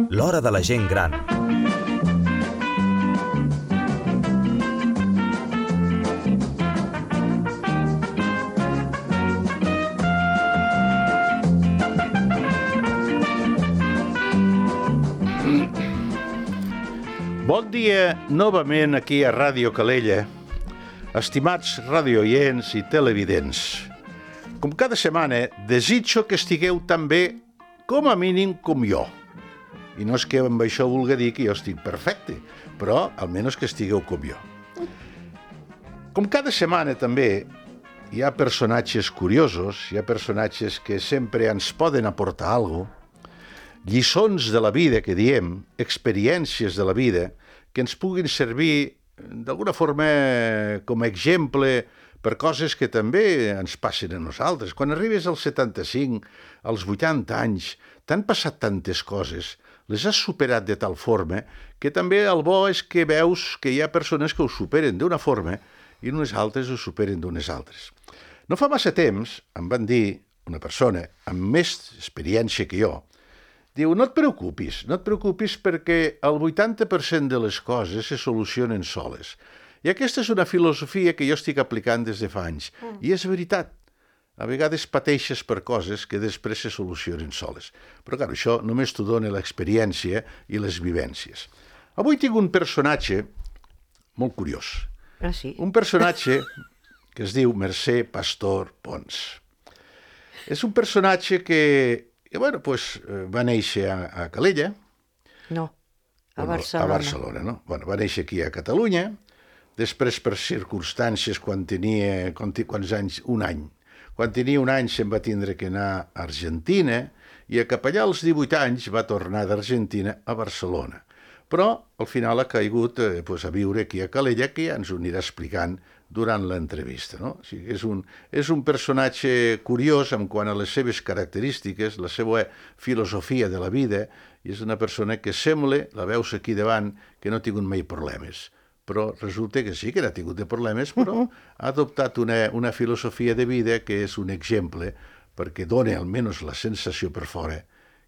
L'hora de la gent gran. Bon dia novament aquí a Ràdio Calella, estimats radioients i televidents. Com cada setmana, desitjo que estigueu tan bé, com a mínim, com jo. I no és que amb això vulgui dir que jo estic perfecte, però almenys que estigueu com jo. Com cada setmana també hi ha personatges curiosos, hi ha personatges que sempre ens poden aportar alguna cosa, lliçons de la vida, que diem, experiències de la vida, que ens puguin servir d'alguna forma com a exemple per coses que també ens passen a nosaltres. Quan arribes als 75, als 80 anys, t'han passat tantes coses, les has superat de tal forma que també el bo és que veus que hi ha persones que ho superen d'una forma i unes altres ho superen d'unes altres. No fa massa temps em van dir una persona amb més experiència que jo, diu, no et preocupis perquè el 80% de les coses se solucionen soles. I aquesta és una filosofia que jo estic aplicant des de fa anys. I és veritat. A vegades pateixes per coses que després se solucionen soles. Però, clar, això només t'ho dona l'experiència i les vivències. Avui tinc un personatge molt curiós. Ah, sí? Un personatge que es diu Mercè Pastor Pons. És un personatge que va néixer a Calella. No, a Barcelona. A Barcelona, no? Va néixer aquí a Catalunya, després per circumstàncies quan tenia, quants anys? Un any. Quan tenia un any se'n va tindre que anar a Argentina i cap allà als 18 anys va tornar d'Argentina a Barcelona. Però al final ha caigut a viure aquí a Calella, que ja ens ho anirà explicant durant l'entrevista. No? O sigui, és un personatge curiós en quant a les seves característiques, la seva filosofia de la vida, i és una persona que sembla, la veus aquí davant, que no ha tingut mai problemes. Però resulta que sí que n'ha tingut de problemes, però ha adoptat una filosofia de vida que és un exemple perquè dona almenys la sensació per fora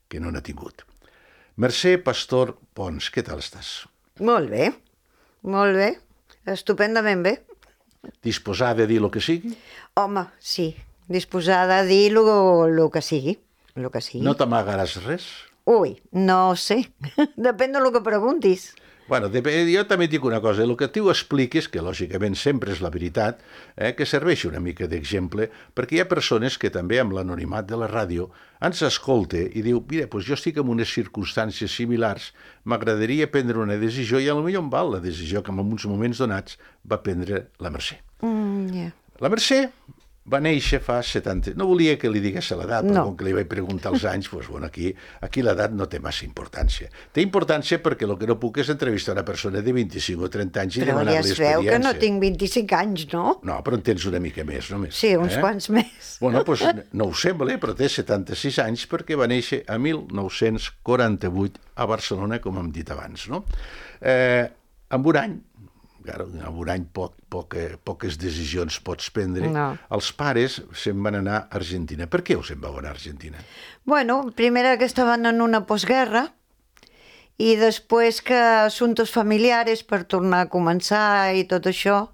que no n'ha tingut. Mercè Pastor Pons, què tal estàs? Molt bé, estupendament bé. Disposada a dir el que sigui? Home, sí, disposada a dir el que sigui, No t'amagaràs res? Ui, no sé, depèn del que preguntis. Bueno, jo també dic una cosa, el que tu expliques, que lògicament sempre és la veritat, que serveixi una mica d'exemple, perquè hi ha persones que també amb l'anonimat de la ràdio ens escolta i diu, mira, doncs jo estic en unes circumstàncies similars, m'agradaria prendre una decisió i potser em val la decisió que en uns moments donats va prendre la Mercè. La Mercè va néixer fa 70... No volia que li digués l'edat, però com que li vaig preguntar els anys, doncs aquí l'edat no té massa importància. Té importància perquè el que no puc és entrevistar una persona de 25 o 30 anys i demanar-li experiència. Però ja es veu que no tinc 25 anys, no? No, però en tens una mica més, només. Sí, uns quants més. Bueno, doncs no ho sembla, però té 76 anys perquè va néixer a 1948 a Barcelona, com hem dit abans, no? Amb un any, en un any poques decisions pots prendre. No. Els pares se'n van anar a Argentina. Per què se'n vau anar a Argentina? Bueno, primera que estaven en una postguerra i després que assumptes familiares per tornar a començar i tot això.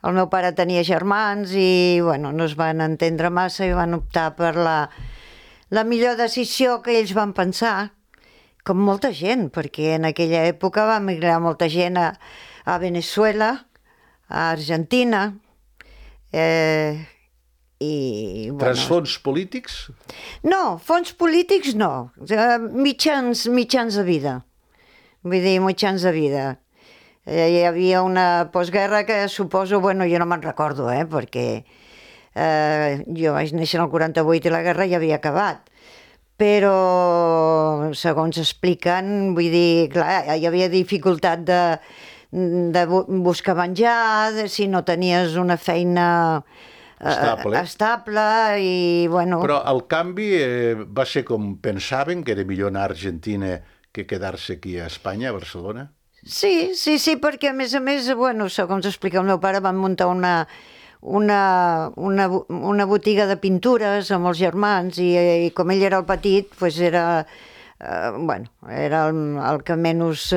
El meu pare tenia germans i no es van entendre massa i van optar per la millor decisió que ells van pensar, com molta gent, perquè en aquella època va emigrar molta gent a Venezuela, a Argentina, Transfons polítics? No, fons polítics no, mitjans de vida, vull dir, mitjans de vida. Hi havia una postguerra que suposo, jo no me'n recordo, perquè jo vaig néixer en el 48 i la guerra ja havia acabat. Però, segons expliquen, vull dir, clar, hi havia dificultat de buscar menjar, si no tenies una feina estable i, Però el canvi va ser com pensaven, que era millor anar a Argentina que quedar-se aquí a Espanya, a Barcelona? Sí, perquè a més, segons explica el meu pare, van muntar una botiga de pintures amb els germans i com ell era el petit, doncs era el que menys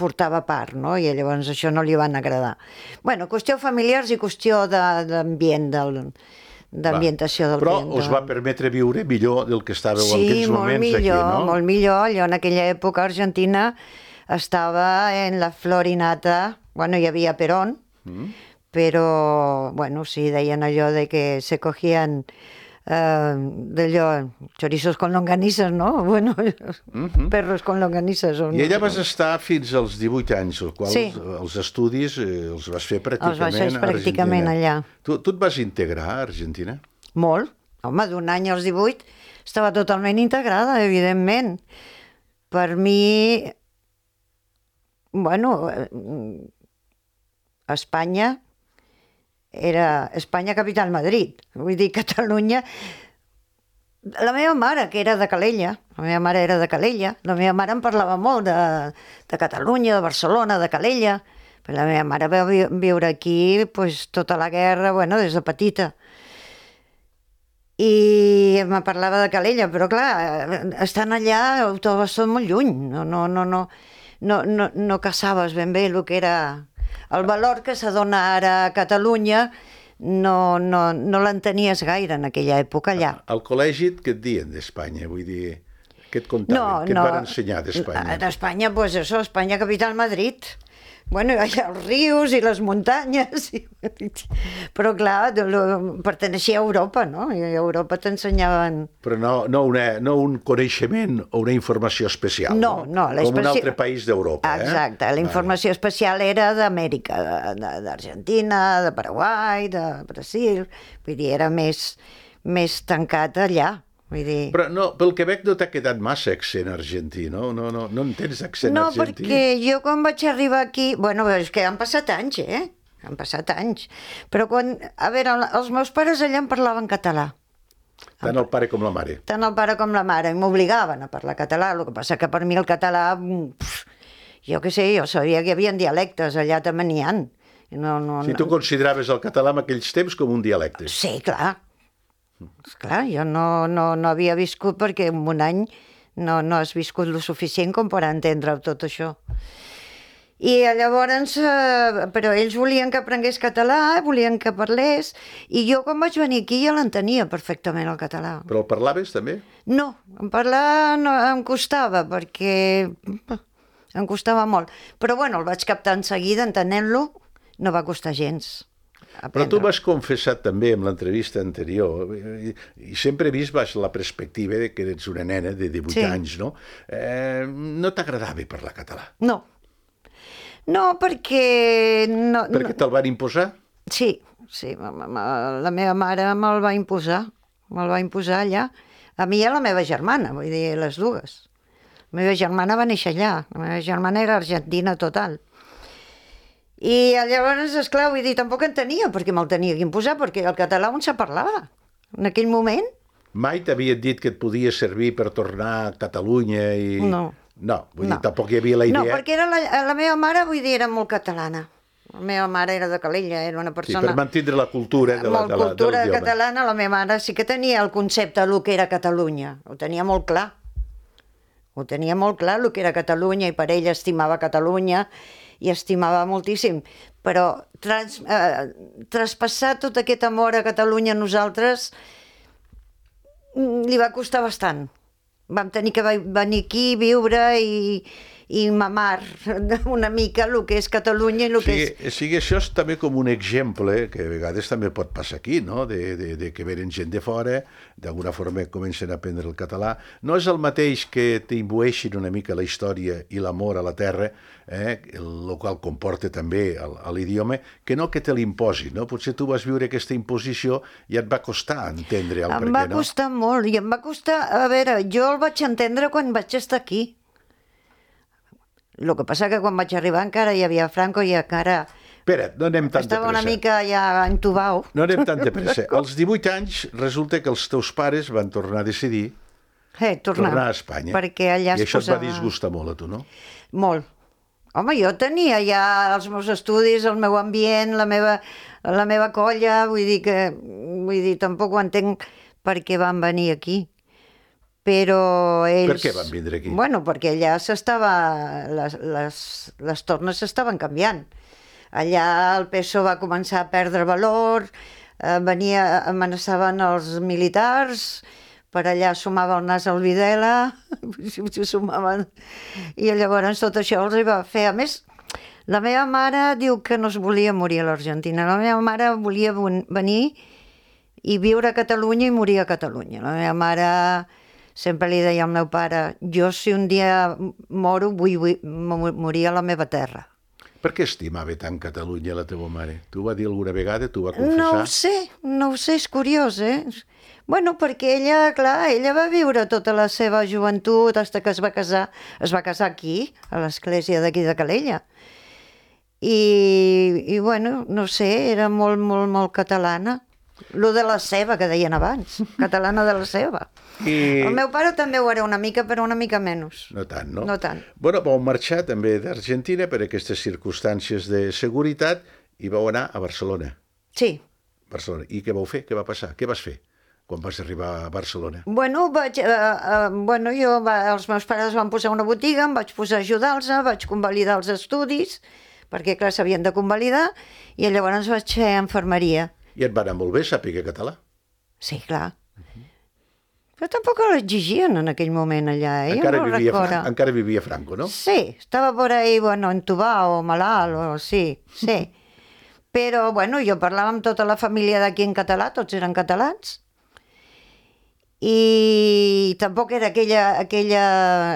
portava part, no? I llavors això no li van agradar. Bueno, qüestió familiars i qüestió d'ambient, d'ambientació del Però temps. us va permetre viure millor del que estàveu en aquells moments aquí, no? Sí, molt millor. Allò en aquella època Argentina estava en la florinata, bueno, hi havia Perón, però, bueno, sí, deien allò de que se cogían d'allò, chorizos con longanizas, no? Bueno, perros con longanizas. I ella vas estar fins als 18 anys, els quals els estudis els vas fer pràcticament allà. Tu et vas integrar a Argentina? Molt. Home, d'un any als 18 estava totalment integrada, evidentment. Per mi, bueno, Espanya era Espanya capital Madrid. Vull dir, Catalunya... La meva mare, que era de Calella, la meva mare era de Calella, la meva mare em parlava molt de Catalunya, de Barcelona, de Calella, però la meva mare va viure aquí pues, tota la guerra, bueno, des de petita. I me parlava de Calella, però clar, estant allà ho trobes tot molt lluny, no caçaves ben bé el que era... El valor que se dona ara a Catalunya no l'entenies gaire en aquella època allà. Al col·legi què et diuen d'Espanya? Vull dir, què et contaven? Què et van ensenyar d'Espanya? D'Espanya, pues eso, Espanya capital Madrid. Bueno, hi ha els rius i les muntanyes, però clar, perteneixia a Europa, no? I a Europa t'ensenyaven... Però no un coneixement o una informació especial, no? Com un altre país d'Europa, Exacte, la informació especial era d'Amèrica, d'Argentina, de Paraguai, de Brasil, vull dir, era més tancat allà. Però no, pel que veig no t'ha quedat massa accent argentí, no? No en tens accent argentí? No, perquè jo quan vaig arribar aquí... Bueno, és que han passat anys, Han passat anys. Però quan... A veure, els meus pares allà em parlaven català. Tant el pare com la mare. Tant el pare com la mare. I m'obligaven a parlar català. El que passa que per mi el català... Jo què sé, jo sabia que hi havia dialectes, allà també n'hi ha. Si tu consideraves el català en aquells temps com un dialecte. Sí, clar. Esclar, jo no havia viscut perquè en un any no has viscut lo suficient com per entendre tot això. I llavors, però ells volien que aprengués català, volien que parlés, i jo quan vaig venir aquí ja l'entenia perfectament el català. Però el parlaves també? No, parlar no, em costava, perquè em costava molt. Però bueno, el vaig captar en seguida, entenent-lo, no va costar gens. Però tu m'has confessat també en l'entrevista anterior, i sempre he vist baix la perspectiva que ets una nena de 18 anys, no? No t'agradava parlar català? No, perquè... Perquè te'l van imposar? Sí, la meva mare me'l va imposar allà. A mi i a la meva germana, vull dir, les dues. La meva germana va néixer allà, la meva germana era argentina total. I llavors, esclar, vull dir, tampoc entenia perquè me'l tenia que imposar, perquè el català on se parlava en aquell moment. Mai t'havien dit que et podia servir per tornar a Catalunya i... No. No, vull dir, tampoc hi havia la idea... No, perquè la meva mare, vull dir, era molt catalana. La meva mare era de Calella, era una persona... Sí, per mantindre la cultura de la cultura catalana, la meva mare sí que tenia el concepte del que era Catalunya. Ho tenia molt clar. Ho tenia molt clar, el que era Catalunya, i per ella estimava Catalunya, i estimava moltíssim, però traspassar tot aquest amor a Catalunya a nosaltres li va costar bastant. Vam tenir que venir aquí, viure i mamar una mica el que és Catalunya i el que és... Sí, això és també com un exemple, que a vegades també pot passar aquí, no? De que venen gent de fora, d'alguna forma comencen a aprendre el català. No és el mateix que t'imbueixin una mica la història i l'amor a la terra, el qual comporta també l'idioma, que no que te l'imposin, no? Potser tu vas viure aquesta imposició i et va costar entendre el per què, no? Em va costar molt, i em va costar... A veure, jo el vaig entendre quan vaig estar aquí. El que passa que quan vaig arribar encara hi havia Franco i encara... Espera't, no anem tan de pressa. Estava una mica ja entubau. No anem tan de pressa. Als 18 anys resulta que els teus pares van tornar a decidir tornar a Espanya. Perquè allà I això et va disgustar molt a tu, no? Molt. Home, jo tenia ja els meus estudis, el meu ambient, la meva colla, vull dir, tampoc ho entenc per què van venir aquí. Però ells... Per què van vindre aquí? Bueno, perquè allà les tornes s'estaven canviant. Allà el PSOE va començar a perdre valor, amenaçaven els militars, per allà sumava el nas al Videla, sumaven... I llavors tot això els va fer. A més, la meva mare diu que no es volia morir a l'Argentina. La meva mare volia venir i viure a Catalunya i morir a Catalunya. La meva mare sempre li deia al meu pare, jo si un dia moro vull morir a la meva terra. Per què estimava tant Catalunya la teva mare? T'ho va dir alguna vegada? T'ho va confessar? No ho sé, és curiós, Bueno, perquè ella, clar, ella va viure tota la seva joventut fins que es va casar aquí, a l'església d'aquí de Calella. I bueno, no sé, era molt, molt, molt catalana. Lo de la ceba, que deien abans, catalana de la ceba. El meu pare també ho era una mica, però una mica menys. No tant, no? No tant. Bueno, vau marxar també d'Argentina per aquestes circumstàncies de seguretat i vau anar a Barcelona. Sí. Barcelona. I què vau fer? Què va passar? Què vas fer quan vas arribar a Barcelona? Bueno, els meus pares van posar una botiga, em vaig posar a ajudar-los, vaig convalidar els estudis, perquè clar, s'havien de convalidar, i llavors vaig fer infermeria. I et va anar molt bé saber català? Sí, clar. Però tampoc l'exigien en aquell moment allà, Encara vivia Franco, no? Sí, estava por ahí, bueno, entubat o malalt, sí. Però, bueno, jo parlava amb tota la família d'aquí en català, tots eren catalans, i tampoc era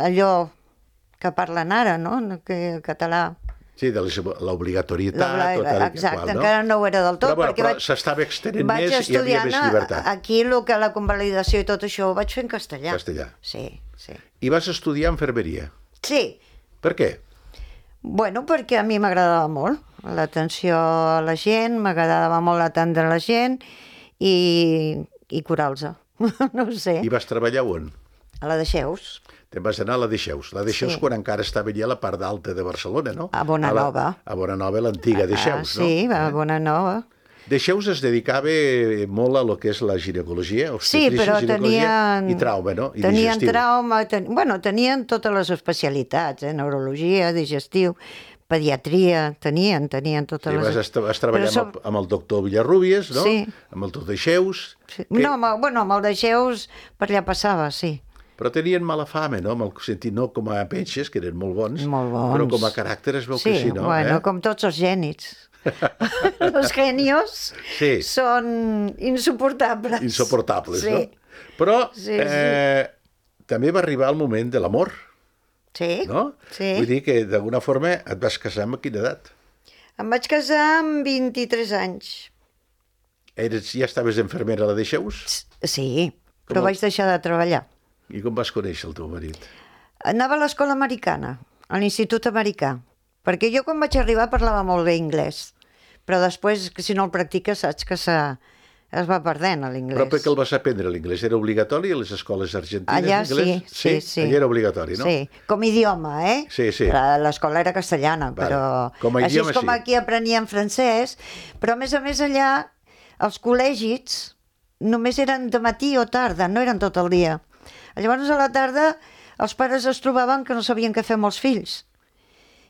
allò que parlen ara, no? Que català... Sí, de l'obligatorietat... Exacte, encara no ho era del tot. Però s'estava extenent més i hi havia més llibertat. Aquí la convalidació i tot això ho vaig fer en castellà. Castellà. Sí. I vas estudiar infermeria? Sí. Per què? Bueno, perquè a mi m'agradava molt l'atenció a la gent, m'agradava molt atendre la gent i curar-los. No ho sé. I vas treballar on? A la Deixeus. Te'n vas anar a la Deixeus. La Deixeus quan encara estava allà a la part alta de Barcelona, no? A Bonanova. A Bonanova, l'antiga Deixeus, no? Sí, a Bonanova. Deixeus es dedicava molt a lo que és la ginecologia, obstetrícia, i trauma, no? I tenien digestiu. trauma, tenien totes les especialitats, neurologia, digestiu, pediatria, tenien totes les... Vas treballar amb el doctor Villarrubias, no? Sí. Amb el doctor Deixeus. No, amb el Deixeus per allà passava, sí. Però tenien mala fama, no? En el sentit, no com a penxes, que eren molt bons, però com a caràcter es veu que sí, no? Sí, bueno, com tots els genis. Los genios són insuportables. Insuportables, no? Però també va arribar el moment de l'amor. Sí, no? Sí. Vull dir que d'alguna forma et vas casar amb quina edat? Em vaig casar amb 23 anys. Ja estaves infermera a la Deixeus? Sí, però vaig deixar de treballar. I com vas conèixer el teu marit? Anava a l'escola americana, a l'institut americà, perquè jo quan vaig arribar parlava molt bé anglès, però després, si no el practiques, saps que es va perdent l'inglès. Però per què el vas aprendre, l'inglès? Era obligatori a les escoles argentines? Allà sí. Allà era obligatori, no? Sí, com a idioma, Sí. L'escola era castellana, però... Com a així idioma, és com aquí aprenien francès, però a més allà els col·legis només eren de matí o tarda, no eren tot el dia. Llavors a la tarda els pares es trobaven que no sabien què fer amb els fills.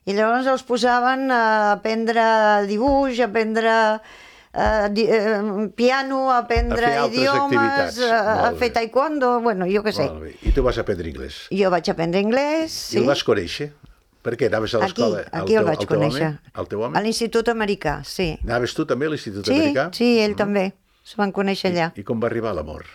I llavors els posaven a aprendre dibuix, a aprendre piano, a aprendre idiomes, a fer taekwondo, bueno, jo què sé. I tu vas aprendre anglès? Jo vaig aprendre anglès, sí. I el vas conèixer? Per què? Anaves a l'escola? Aquí el vaig conèixer. El teu home? A l'Institut Americà, sí. Anaves tu també a l'Institut Americà? Sí, ell també. Es van conèixer allà. I com va arribar l'amor?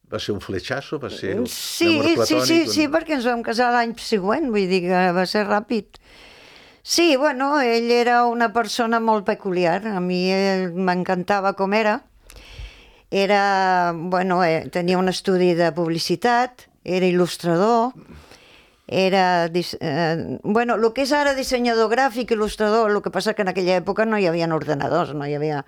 Va ser un fletxasso? Va ser un amor platònic? Sí, perquè ens vam casar l'any següent, vull dir que va ser ràpid. Sí, bueno, ell era una persona molt peculiar, a mi m'encantava com era. Tenia un estudi de publicitat, era il·lustrador, el que és ara dissenyador gràfic, il·lustrador, el que passa que en aquella època no hi havia ordenadors, no hi havia...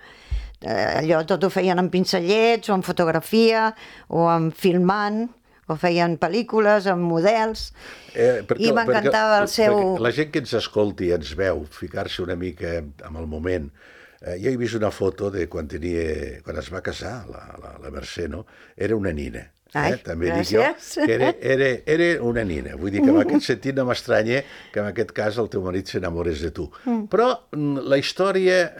Allò tot ho feien amb pincellets o amb fotografia o amb filmant o feien pel·lícules amb models, i m'encantava el seu... La gent que ens escolti i ens veu ficar-se una mica amb el moment. Jo he vist una foto de quan es va casar la Mercè, no? Era una nina. També gràcies. dic jo que era una nina. Vull dir que en aquest sentit no m'estranya que en aquest cas el teu marit s'enamorés de tu. Però la història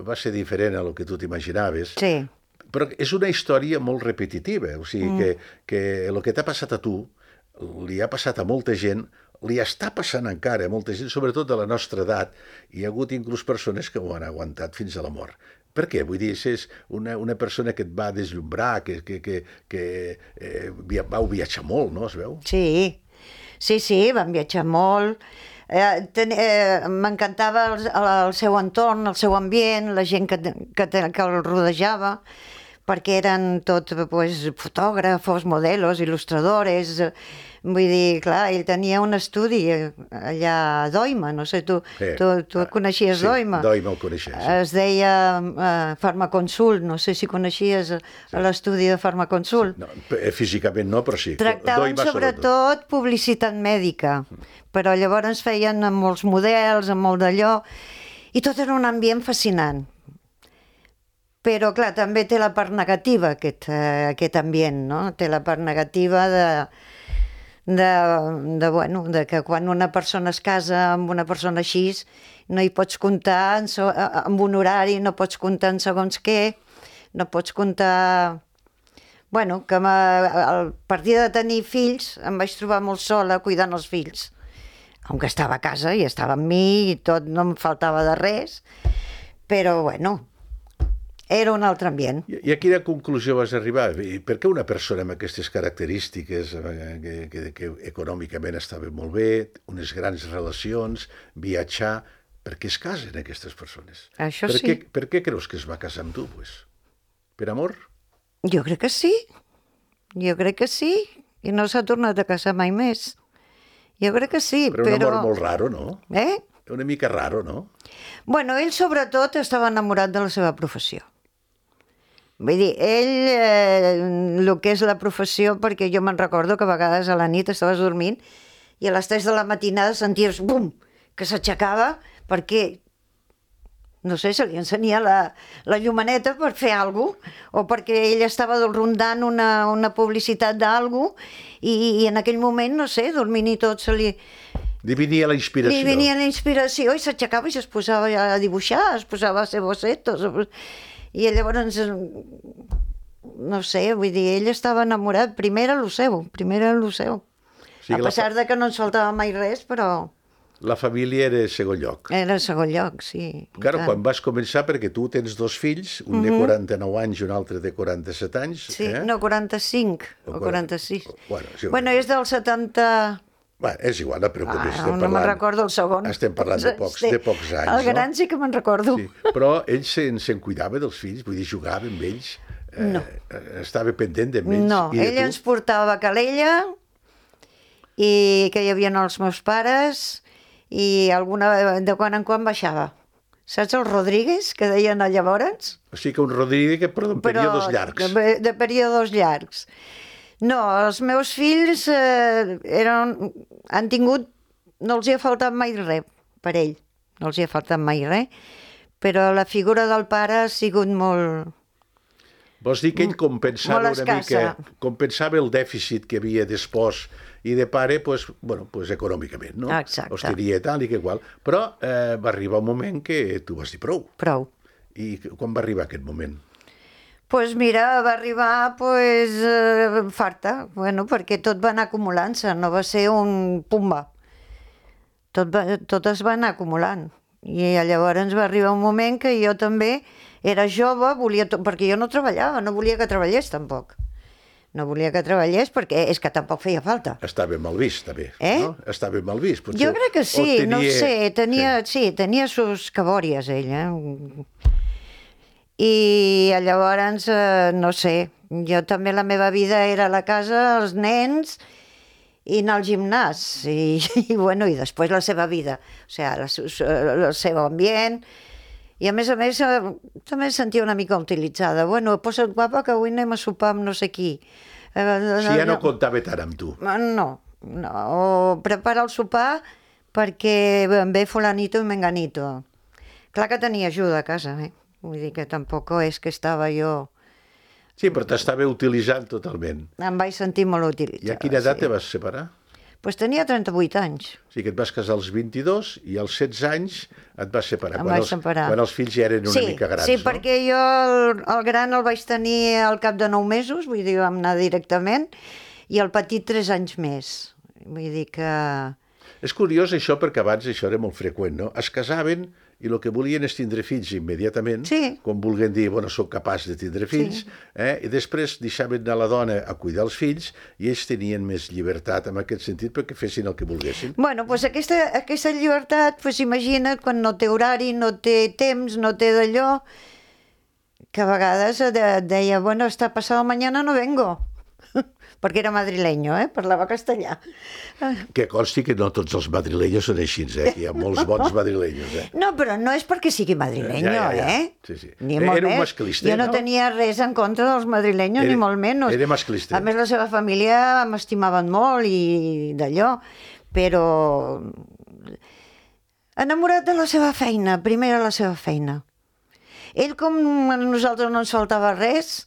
va ser diferent a lo que tu t'imaginaves. Sí. Però és una història molt repetitiva. O sigui que el que t'ha passat a tu li ha passat a molta gent, li està passant encara a molta gent, sobretot de la nostra edat. Hi ha hagut inclús persones que ho han aguantat fins a la mort. Per què? Vull dir, és una persona que et va deslumbrar, que vau viatjar molt, no? Es veu? Sí, vam viatjar molt. M'encantava el seu entorn, el seu ambient, la gent que el rodejava, perquè eren tots fotògrafos, modelos, il·lustradores. Vull dir, clar, ell tenia un estudi allà a Doima, no sé, tu coneixies Doima? Sí, Doima el coneixia. Es deia Farmaconsult, no sé si coneixies l'estudi de Farmaconsult. No, físicament no, però sí. Tractaven sobretot publicitat mèdica, però llavors feien amb molts models, amb molt d'allò, i tot era un ambient fascinant. Però, clar, també té la part negativa, aquest ambient, no? Té la part negativa de que quan una persona es casa amb una persona així, no hi pots comptar amb un horari, no pots comptar en segons què, no pots comptar... Bueno, que a partir de tenir fills em vaig trobar molt sola cuidant els fills. Aunque estava a casa i estava amb mi i tot, no em faltava de res, però, bueno... Era un altre ambient. I a quina conclusió vas arribar? Per què una persona amb aquestes característiques, que econòmicament estava molt bé, unes grans relacions, viatjar, per què es casen aquestes persones? Això sí. Per què creus que es va casar amb tu? Per amor? Jo crec que sí. I no s'ha tornat a casar mai més. Jo crec que sí, però... Però un amor molt raro, no? Una mica raro, no? Bueno, ell sobretot estava enamorat de la seva professió. Vull dir, ell, el que és la professió, perquè jo me'n recordo que a vegades a la nit estaves dormint i a les 3 de la matinada senties, bum, que s'aixecava perquè, no sé, se li encenia la llumaneta per fer alguna cosa, o perquè ell estava rondant una publicitat d'alguna cosa i en aquell moment, no sé, dormint i tot se li... Li venia la inspiració. Li venia la inspiració i s'aixecava i es posava a dibuixar, es posava a fer bocetos. I llavors, no sé, vull dir, ell estava enamorat, primer era el seu. Sí, a pesar de que no ens faltava mai res, però... La família era segon lloc. Era segon lloc, sí. Claro, quan vas començar, perquè tu tens 2 fills, un de 49 anys i un altre de 47 anys. Sí, no, 45 o 46. Bueno, és del 70... Bueno, és igual, no preocupis. No me'n recordo el segon. Estem parlant de pocs anys, el gran sí que me'n recordo. Sí. Però ell se'n cuidava dels fills, vull dir, jugava amb ells, no. Estava pendent d'ells. No, ell ens portava a Calella, i que hi havia els meus pares, i de quan en quan baixava. Saps el Rodríguez, que deien llavors? O sigui que un Rodríguez, però en períodes llargs. De períodes llargs. No, els meus fills han tingut... No els hi ha faltat mai res per ell. No els hi ha faltat mai res. Però la figura del pare ha sigut molt... Vols dir que ell compensava una mica... Compensava el dèficit que havia d'espòs i de pare, econòmicament, no? Exacte. Els tenia tal i que qual. Però va arribar un moment que tu vas dir prou. Prou. I quan va arribar aquest moment? Doncs mira, va arribar farta, perquè tot va anar acumulant-se, no va ser un pumba. Tot es va anar acumulant. I llavors va arribar un moment que jo també era jove, perquè jo no treballava, no volia que treballés tampoc. No volia que treballés perquè és que tampoc feia falta. Estava mal vist, també. No? Estava mal vist. Jo crec que sí, no ho sé, tenia sus cabòries, ell, I llavors, no sé, jo també la meva vida era a la casa, els nens i anar al gimnàs i després la seva vida, o sigui, el seu ambient, i a més també em sentia una mica utilitzada. Posa't guapa que avui anem a sopar amb no sé qui, Si ja no comptava tant amb tu. No. O prepara el sopar perquè ve fulanito i menganito. Clar que tenia ajuda a casa, Vull dir que tampoc és que estava jo... Sí, però t'estava utilitzant totalment. Em vaig sentir molt utilitzada. I a quina edat te vas separar? Doncs tenia 38 anys. O sigui que et vas casar als 22 i als 16 anys et vas separar. Em vaig separar. Quan els fills ja eren una mica grans, sí, no? perquè jo el gran el vaig tenir al cap de 9 mesos, vull dir, vam anar directament, i el petit 3 anys més. Vull dir que... És curiós això, perquè abans això era molt freqüent, no? Es casaven i el que volien és tindre fills immediatament, com vulguin dir, bueno, soc capaç de tindre fills, i després deixaven anar la dona a cuidar els fills i ells tenien més llibertat en aquest sentit perquè fessin el que volguessin. Bueno, doncs aquesta llibertat, doncs imagina't, quan no té horari, no té temps, no té d'allò, que a vegades deia, bueno, està passado mañana no vengo. Perquè era madrileño, parlava castellà. Que consti que no tots els madrileños són així, que hi ha molts bons madrileños. No, però no és perquè sigui madrileño, Sí, sí. Ni molt era un més. masclista, Jo no tenia res en contra dels madrileños, ni molt menys. Era masclista. A més, la seva família m'estimaven molt i d'allò, però enamorat de la seva feina, primer era la seva feina. Ell, com a nosaltres no ens faltava res,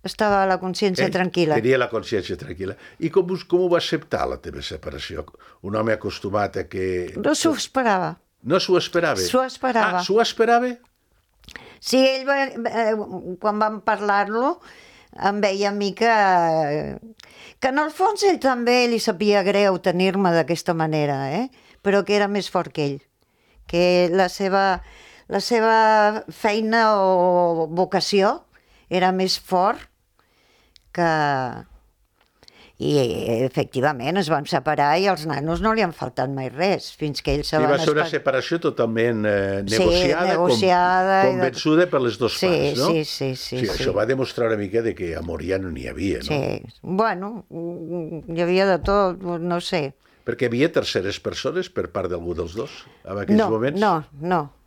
estava la consciència tranquil·la. Tenia la consciència tranquil·la. I com ho va acceptar, la teva separació? Un home acostumat a que... No s'ho esperava. No s'ho esperava? S'ho esperava. Ah, s'ho esperava? Sí, quan vam parlar-lo, em veia a mi que en el fons ell també li sabia greu tenir-me d'aquesta manera, però que era més fort que ell. Que la seva feina o vocació era més fort que... I efectivament es van separar i als nanos no li han faltat mai res, fins que ells se van... Va ser una separació totalment negociada, convençuda per les dues parts, no? Sí. Això va demostrar una mica de que amor ja no n'hi havia, no? Sí, bueno, hi havia de tot, no sé. Perquè hi havia terceres persones per part d'algú dels dos, en aquells moments?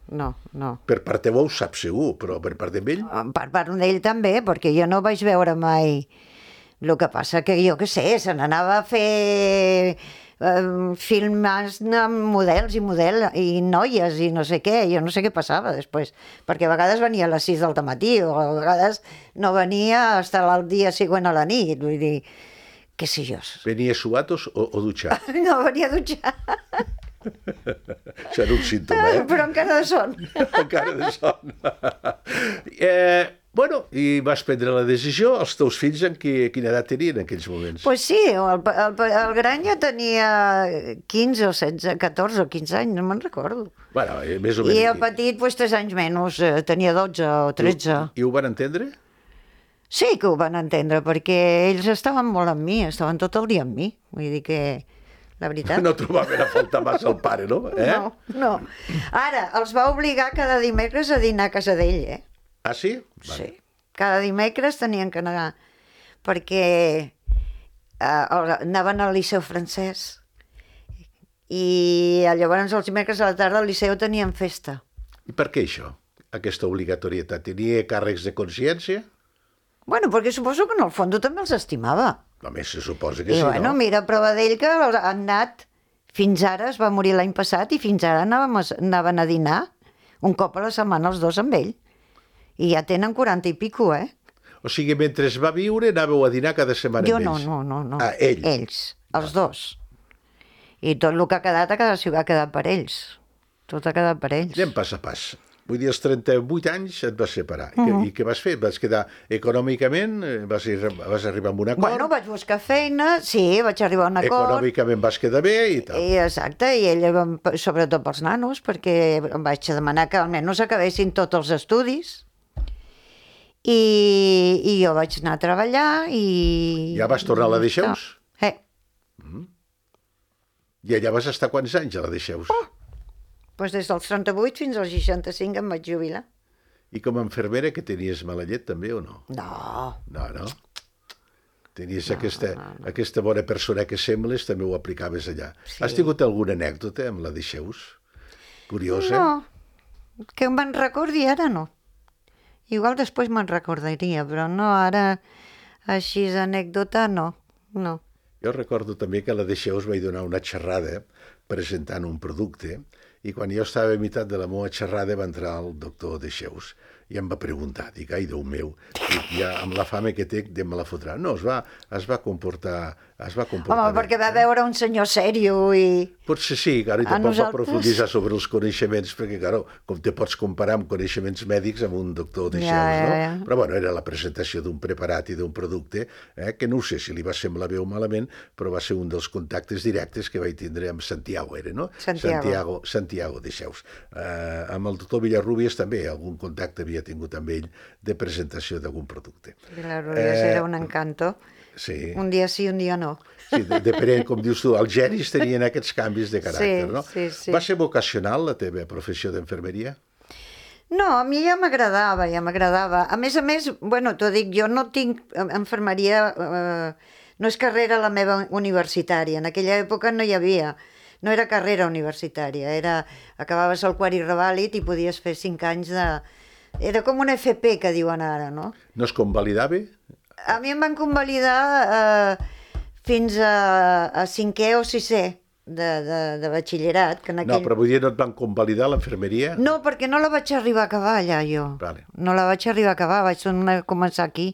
No. Per part teva ho saps segur, però per part d'ell? Per part d'ell també, perquè jo no vaig veure mai... El que passa que jo què sé, se n'anava a fer films amb models i noies i no sé què, jo no sé què passava després, perquè a vegades venia a les 6 del matí o a vegades no venia fins el dia següent a la nit, vull dir, què sé jo. Venia suatos o dutxat? No, venia dutxat. Això era un símptoma, Però encara de son. Encara de son. Bueno, i vas prendre la decisió. Els teus fills en quina edat tenien en aquells moments? Pues sí, el gran ja tenia 15 o 16, 14 o 15 anys, no me'n recordo. Bueno, més o menys. I el petit, 3 anys menys, tenia 12 o 13. I ho van entendre? Sí que ho van entendre, perquè ells estaven molt amb mi, estaven tot el dia amb mi. Vull dir que, la veritat... No trobaven a faltar massa el pare, no? No. Ara, els va obligar cada dimecres a dinar a casa d'ell, Ah, sí? Sí. Cada dimecres tenien que anar, perquè anaven al Liceu francès i llavors els dimecres a la tarda al Liceu tenien festa. I per què això, aquesta obligatorietat? Tenia càrrecs de consciència? Bueno, perquè suposo que en el fons també els estimava. Només se suposa que sí, bueno, no? Mira, prova d'ell que han anat, fins ara, es va morir l'any passat, i fins ara anaven a dinar un cop a la setmana els dos amb ell. I ja tenen 40 i pico, O sigui, mentre va viure, anàveu a dinar cada setmana amb ells? Jo no. Ah, ells? Ells, els dos. I tot el que ha quedat ha quedat per ells. Tot ha quedat per ells. Anem pas a pas. Vull dir, als 38 anys et vas separar. I què vas fer? Vas quedar econòmicament? Vas arribar a un acord? Bueno, vaig buscar feina, sí, vaig arribar a un acord. Econòmicament vas quedar bé i tal. Exacte, i ell, sobretot pels nanos, perquè em vaig demanar que almenys acabessin tots els estudis. I jo vaig anar a treballar i... Ja vas tornar a la Deixeus? I allà vas estar quants anys a la Deixeus? Doncs des dels 38 fins als 65 em vaig jubilar. I com a infermera que tenies mala llet també o no? No. Tenies aquesta bona persona que sembles, també ho aplicaves allà. Sí. Has tingut alguna anècdota amb la Deixeus? Curiosa? No, que me'n recordi ara no. Igual després me'n recordaria, però no, ara Així, anècdota, no. Jo recordo també que a la Deixeus vaig donar una xerrada presentant un producte i quan jo estava a meitat de la meva xerrada va entrar el doctor Deixeus i em va preguntar, dic, ai, Déu meu, dic, ja amb la fama que té, me la fotrà. No, es va comportar Home, perquè va veure un senyor sèrio i... Potser sí, clar, i tampoc va profunditzar sobre els coneixements, perquè, clar, com te pots comparar amb coneixements mèdics amb un doctor Deixeus, no? Ja. Però, bueno, era la presentació d'un preparat i d'un producte, que no ho sé si li va semblar bé o malament, però va ser un dels contactes directes que vaig tindre amb Santiago, no? Santiago Deixeus. Amb el doctor Villarrubias també, algun contacte havia tingut amb ell de presentació d'algun producte. Villarrubias era un encanto. Sí. Un dia sí, un dia no. Sí, depenent, com dius tu, els genis tenien aquests canvis de caràcter, no? Sí. Va ser vocacional la teva professió d'infermeria? No, a mi ja m'agradava. A més, bueno, t'ho dic, jo no tinc infermeria, no és carrera la meva universitària. En aquella època no hi havia, no era carrera universitària, acabaves el quart i revàlid i podies fer 5 anys de... Era com un FP, que diuen ara, no? No es convalidava? A mi em van convalidar fins a 5è o 6è de batxillerat. Que No, però vull dir, no et van convalidar l'infermeria? No, perquè no la vaig arribar a acabar allà, jo. Vale. No la vaig arribar a acabar, vaig començar aquí.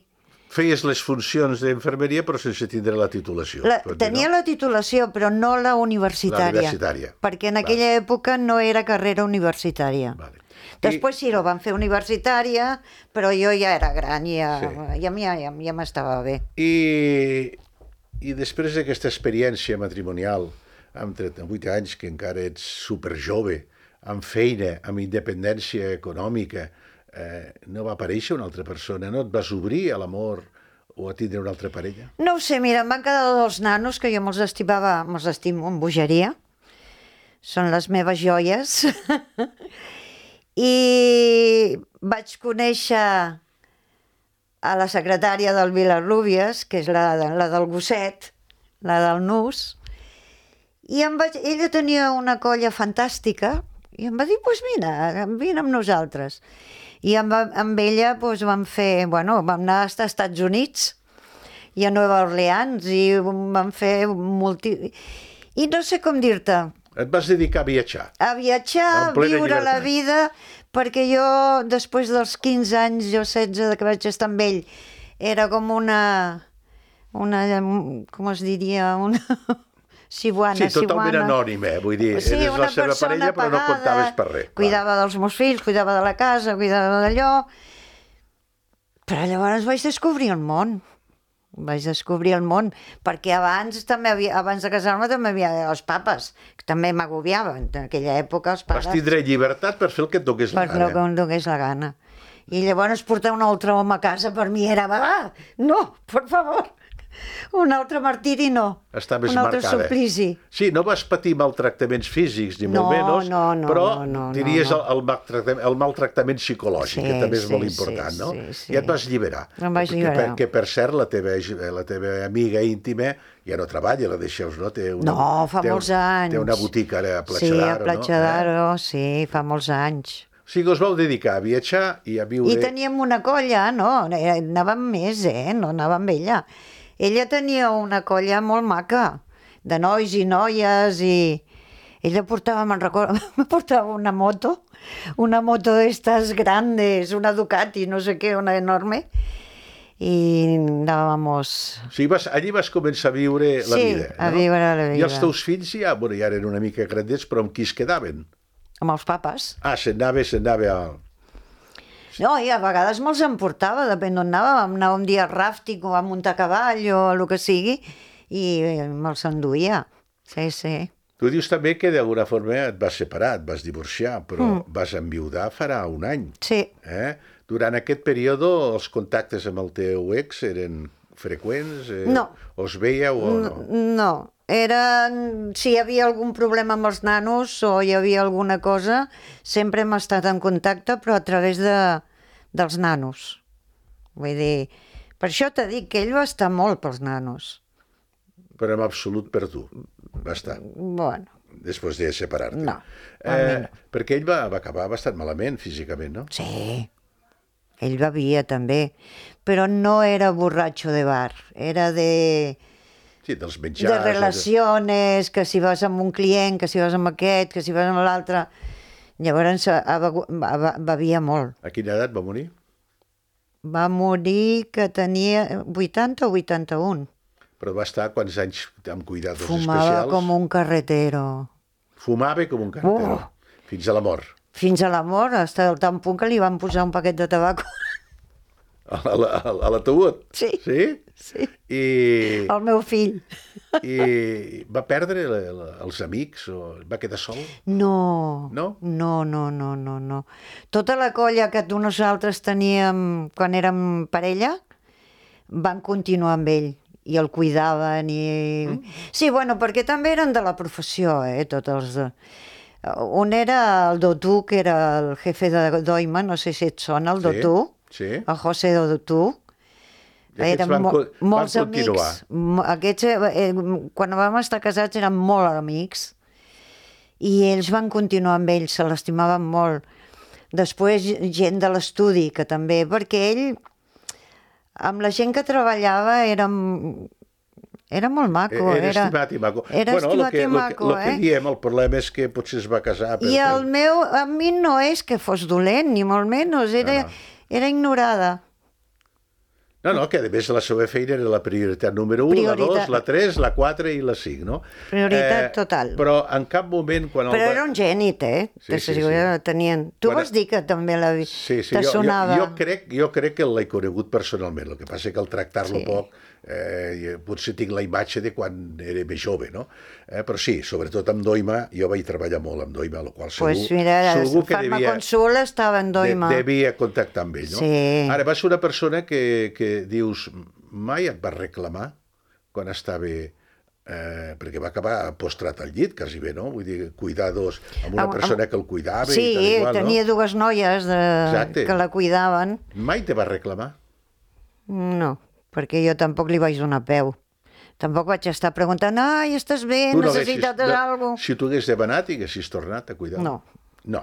Feies les funcions d'infermeria però sense tindre la titulació. Tenia la titulació, però no la universitària. La universitària. Perquè en aquella època no era carrera universitària. Vale. Després sí, ho van fer universitària, però jo ja era gran, ja m'estava bé. I després d'aquesta experiència matrimonial, amb 38 anys, que encara ets superjove, amb feina, amb independència econòmica, no va aparèixer una altra persona? No et vas obrir a l'amor o a tindre una altra parella? No ho sé, mira, em van quedar 2 nanos que jo me'ls estimo amb bogeria. Són les meves joies. I vaig conèixer a la secretària del Villarrubias, que és la del gosset, la del nus, i ella tenia una colla fantàstica, i em va dir, doncs vine amb nosaltres. I amb ella vam vam anar als Estats Units i a Nova Orleans, i vam fer I no sé com dir-te, et vas dedicar a viatjar. A viatjar, a viure la vida, perquè jo, després dels 15 anys, 16 que vaig estar amb ell, era com una com es diria, una ciuana. Sí, totalment anònima, vull dir, eres la seva parella però no comptaves per res. Cuidava dels meus fills, cuidava de la casa, cuidava d'allò, però llavors vaig descobrir el món. Perquè abans de casar-me també havia els papes, que també m'agobiaven. En aquella època els pares... Vas tindre llibertat per fer el que et donés la gana. Per el que em donés la gana. I llavors portar un altre home a casa per mi era... no, per favor, un altre martiri no. Estaves un altre marcada. suplici. Sí, no vas patir maltractaments físics, ni molt menys, però diries el maltractament psicològic, que també és molt important, no? I et vas alliberar. Em vaig alliberar. Que, per cert, la teva amiga íntima ja no treballa, la Deixeus, no? Fa molts anys. Té una botiga ara a Platja d'Aro, no? Sí, a Platja d'Aro, sí, fa molts anys. O sigui que us vau dedicar a viatjar i a viure... I teníem una colla, no? Anàvem més, no anàvem amb ella. Ella tenia una colla molt maca, de nois i noies, i ella portava, me'n recordo, portava una moto d'estas grandes, una Ducati, no sé què, una enorme, i anàvamos... O sigui, allí vas començar a viure la vida, no? Sí, a viure la vida. I els teus fills ja eren una mica grandets, però amb qui es quedaven? Amb els papes. Se'n anava a... No, i a vegades me'ls emportava, depèn d'on anàvem. Anàvem un dia a ràfting o a muntar a cavall o el que sigui, i me'ls enduia. Sí. Tu dius també que d'alguna forma et vas separar, et vas divorciar, però vas enviudar farà un any. Sí. Durant aquest període els contactes amb el teu ex eren freqüents? No. O es veieu o no? No. Si hi havia algun problema amb els nanos o hi havia alguna cosa, sempre hem estat en contacte, però a través dels nanos. Vull dir, per això t'he dit que ell va estar molt pels nanos. Però en absolut per tu, va estar. Bueno. Després de separar-te. No. Perquè ell va acabar bastant malament físicament, no? Sí. Ell bevia també, però no era borratxo de bar, era de dels menjars. de relacions, que si vas amb un client, que si vas amb aquest, que si vas amb l'altre. Llavors bevia molt. A quina edat va morir? Va morir que tenia 80 o 81. Però va estar quants anys amb cuidados Fumava especials? com un carretero. Fumava com un carretero. Fins a la mort. Fins a la mort, fins al tant punt que li van posar un paquet de tabac. A l'ataúd? Sí. Sí? Sí. I El meu fill. va perdre els amics o va quedar sol? No. No? No. Tota la colla que nosaltres teníem quan érem parella van continuar amb ell i el cuidaven i... Sí, bueno, perquè també eren de la professió, tots els... Un era el Dotú, que era el jefe de Doima, no sé si et sona, el Dotú. Sí. El José Dotú. I aquests van molts continuar. amics. Aquests, quan vam estar casats, eren molt amics i ells van continuar amb ell, se l'estimaven molt. Després, gent de l'estudi, que també, perquè ell, amb la gent que treballava, era molt maco. Era estimat i maco. Era estimat i maco, el que diem, el problema és que potser es va casar... I a mi no és que fos dolent, ni molt menys, era ignorada. No, que a més la seva feina era la prioritat número 1, la 2, la 3, la 4 i la 5, no? Prioritat total. Però en cap moment... Però era un gènit, Sí. Tenien... Tu vas dir que també te sonava. Jo crec que l'he conegut personalment, el que passa que al tractar-lo poc potser tinc la imatge de quan era més jove, no? Però sí, sobretot amb Doima, jo vaig treballar molt amb Doima, el qual segur que Farmaconsul estava en Doima. Devia contactar amb ell, no? Sí. Ara, va ser una persona que dius, mai et va reclamar quan estava... perquè va acabar postrat al llit, quasi bé, no? Vull dir, cuidados amb una persona que el cuidava i tal igual, no? Tenia dues noies que la cuidaven. Mai te va reclamar? No, perquè jo tampoc li vaig donar peu. Tampoc vaig estar preguntant, ai, estàs bé, necessites alguna cosa? Si tu hagués demanat i haguessis tornat a cuidar? No.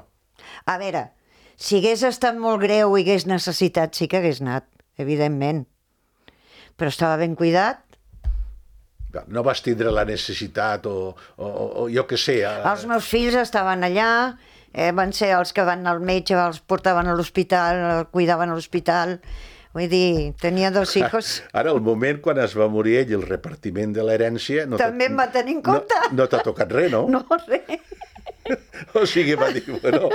A veure, si hagués estat molt greu i hagués necessitat, sí que hagués anat, evidentment. Però estava ben cuidat. No vas tindre la necessitat o jo què sé... Els meus fills estaven allà, van ser els que van al metge, els portaven a l'hospital, el cuidaven a l'hospital... Vull dir, tenia 2 hijos. Ara, el moment quan es va morir ell, el repartiment de l'herència... També em va tenir en compte. No t'ha tocat res, no? No, res. O sigui, va dir, bueno,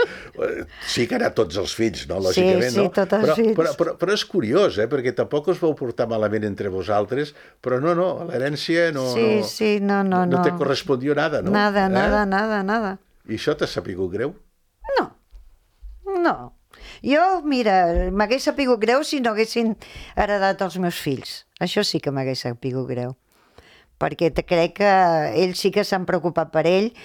sí que era tots els fills, no? Lògicament, sí, tots els fills. Però és curiós, perquè tampoc us vau portar malament entre vosaltres, però no, l'herència no te correspondió nada, no? Nada. I això t'ha sapigut greu? No. Jo, mira, m'hagués sapigut greu si no haguessin heredat els meus fills. Això sí que m'hagués sapigut greu. Perquè crec que ells sí que s'han preocupat per ells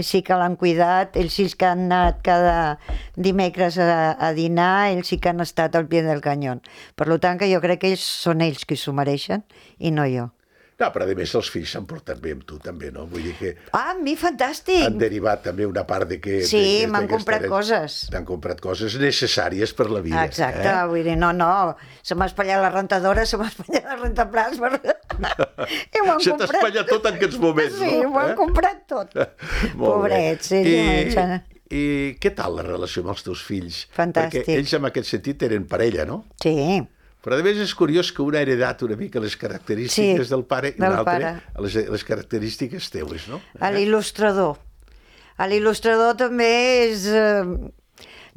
sí que l'han cuidat, ells sí que han anat cada dimecres a dinar, ells sí que han estat al pie del canyón. Per tant, que jo crec que són ells qui s'ho mereixen i no jo. No, però a més els fills s'han portat bé amb tu també, no? Vull dir que... amb mi fantàstic! Han derivat també una part de que... Sí, m'han comprat coses. T'han comprat coses necessàries per la vida. Exacte, vull dir, no, se m'ha espatllat la rentadora, se m'ha espatllat el rentaplats, i m'ho han comprat... Se t'ha espatllat tot en aquests moments, no? Sí, m'ho han comprat tot. Pobrets, I què tal la relació amb els teus fills? Fantàstic. Perquè ells en aquest sentit eren parella, no? Sí. Però a més és curiós que un ha heredat una mica les característiques del pare i l'altre les característiques teues, no? A l'il·lustrador. A l'il·lustrador també és...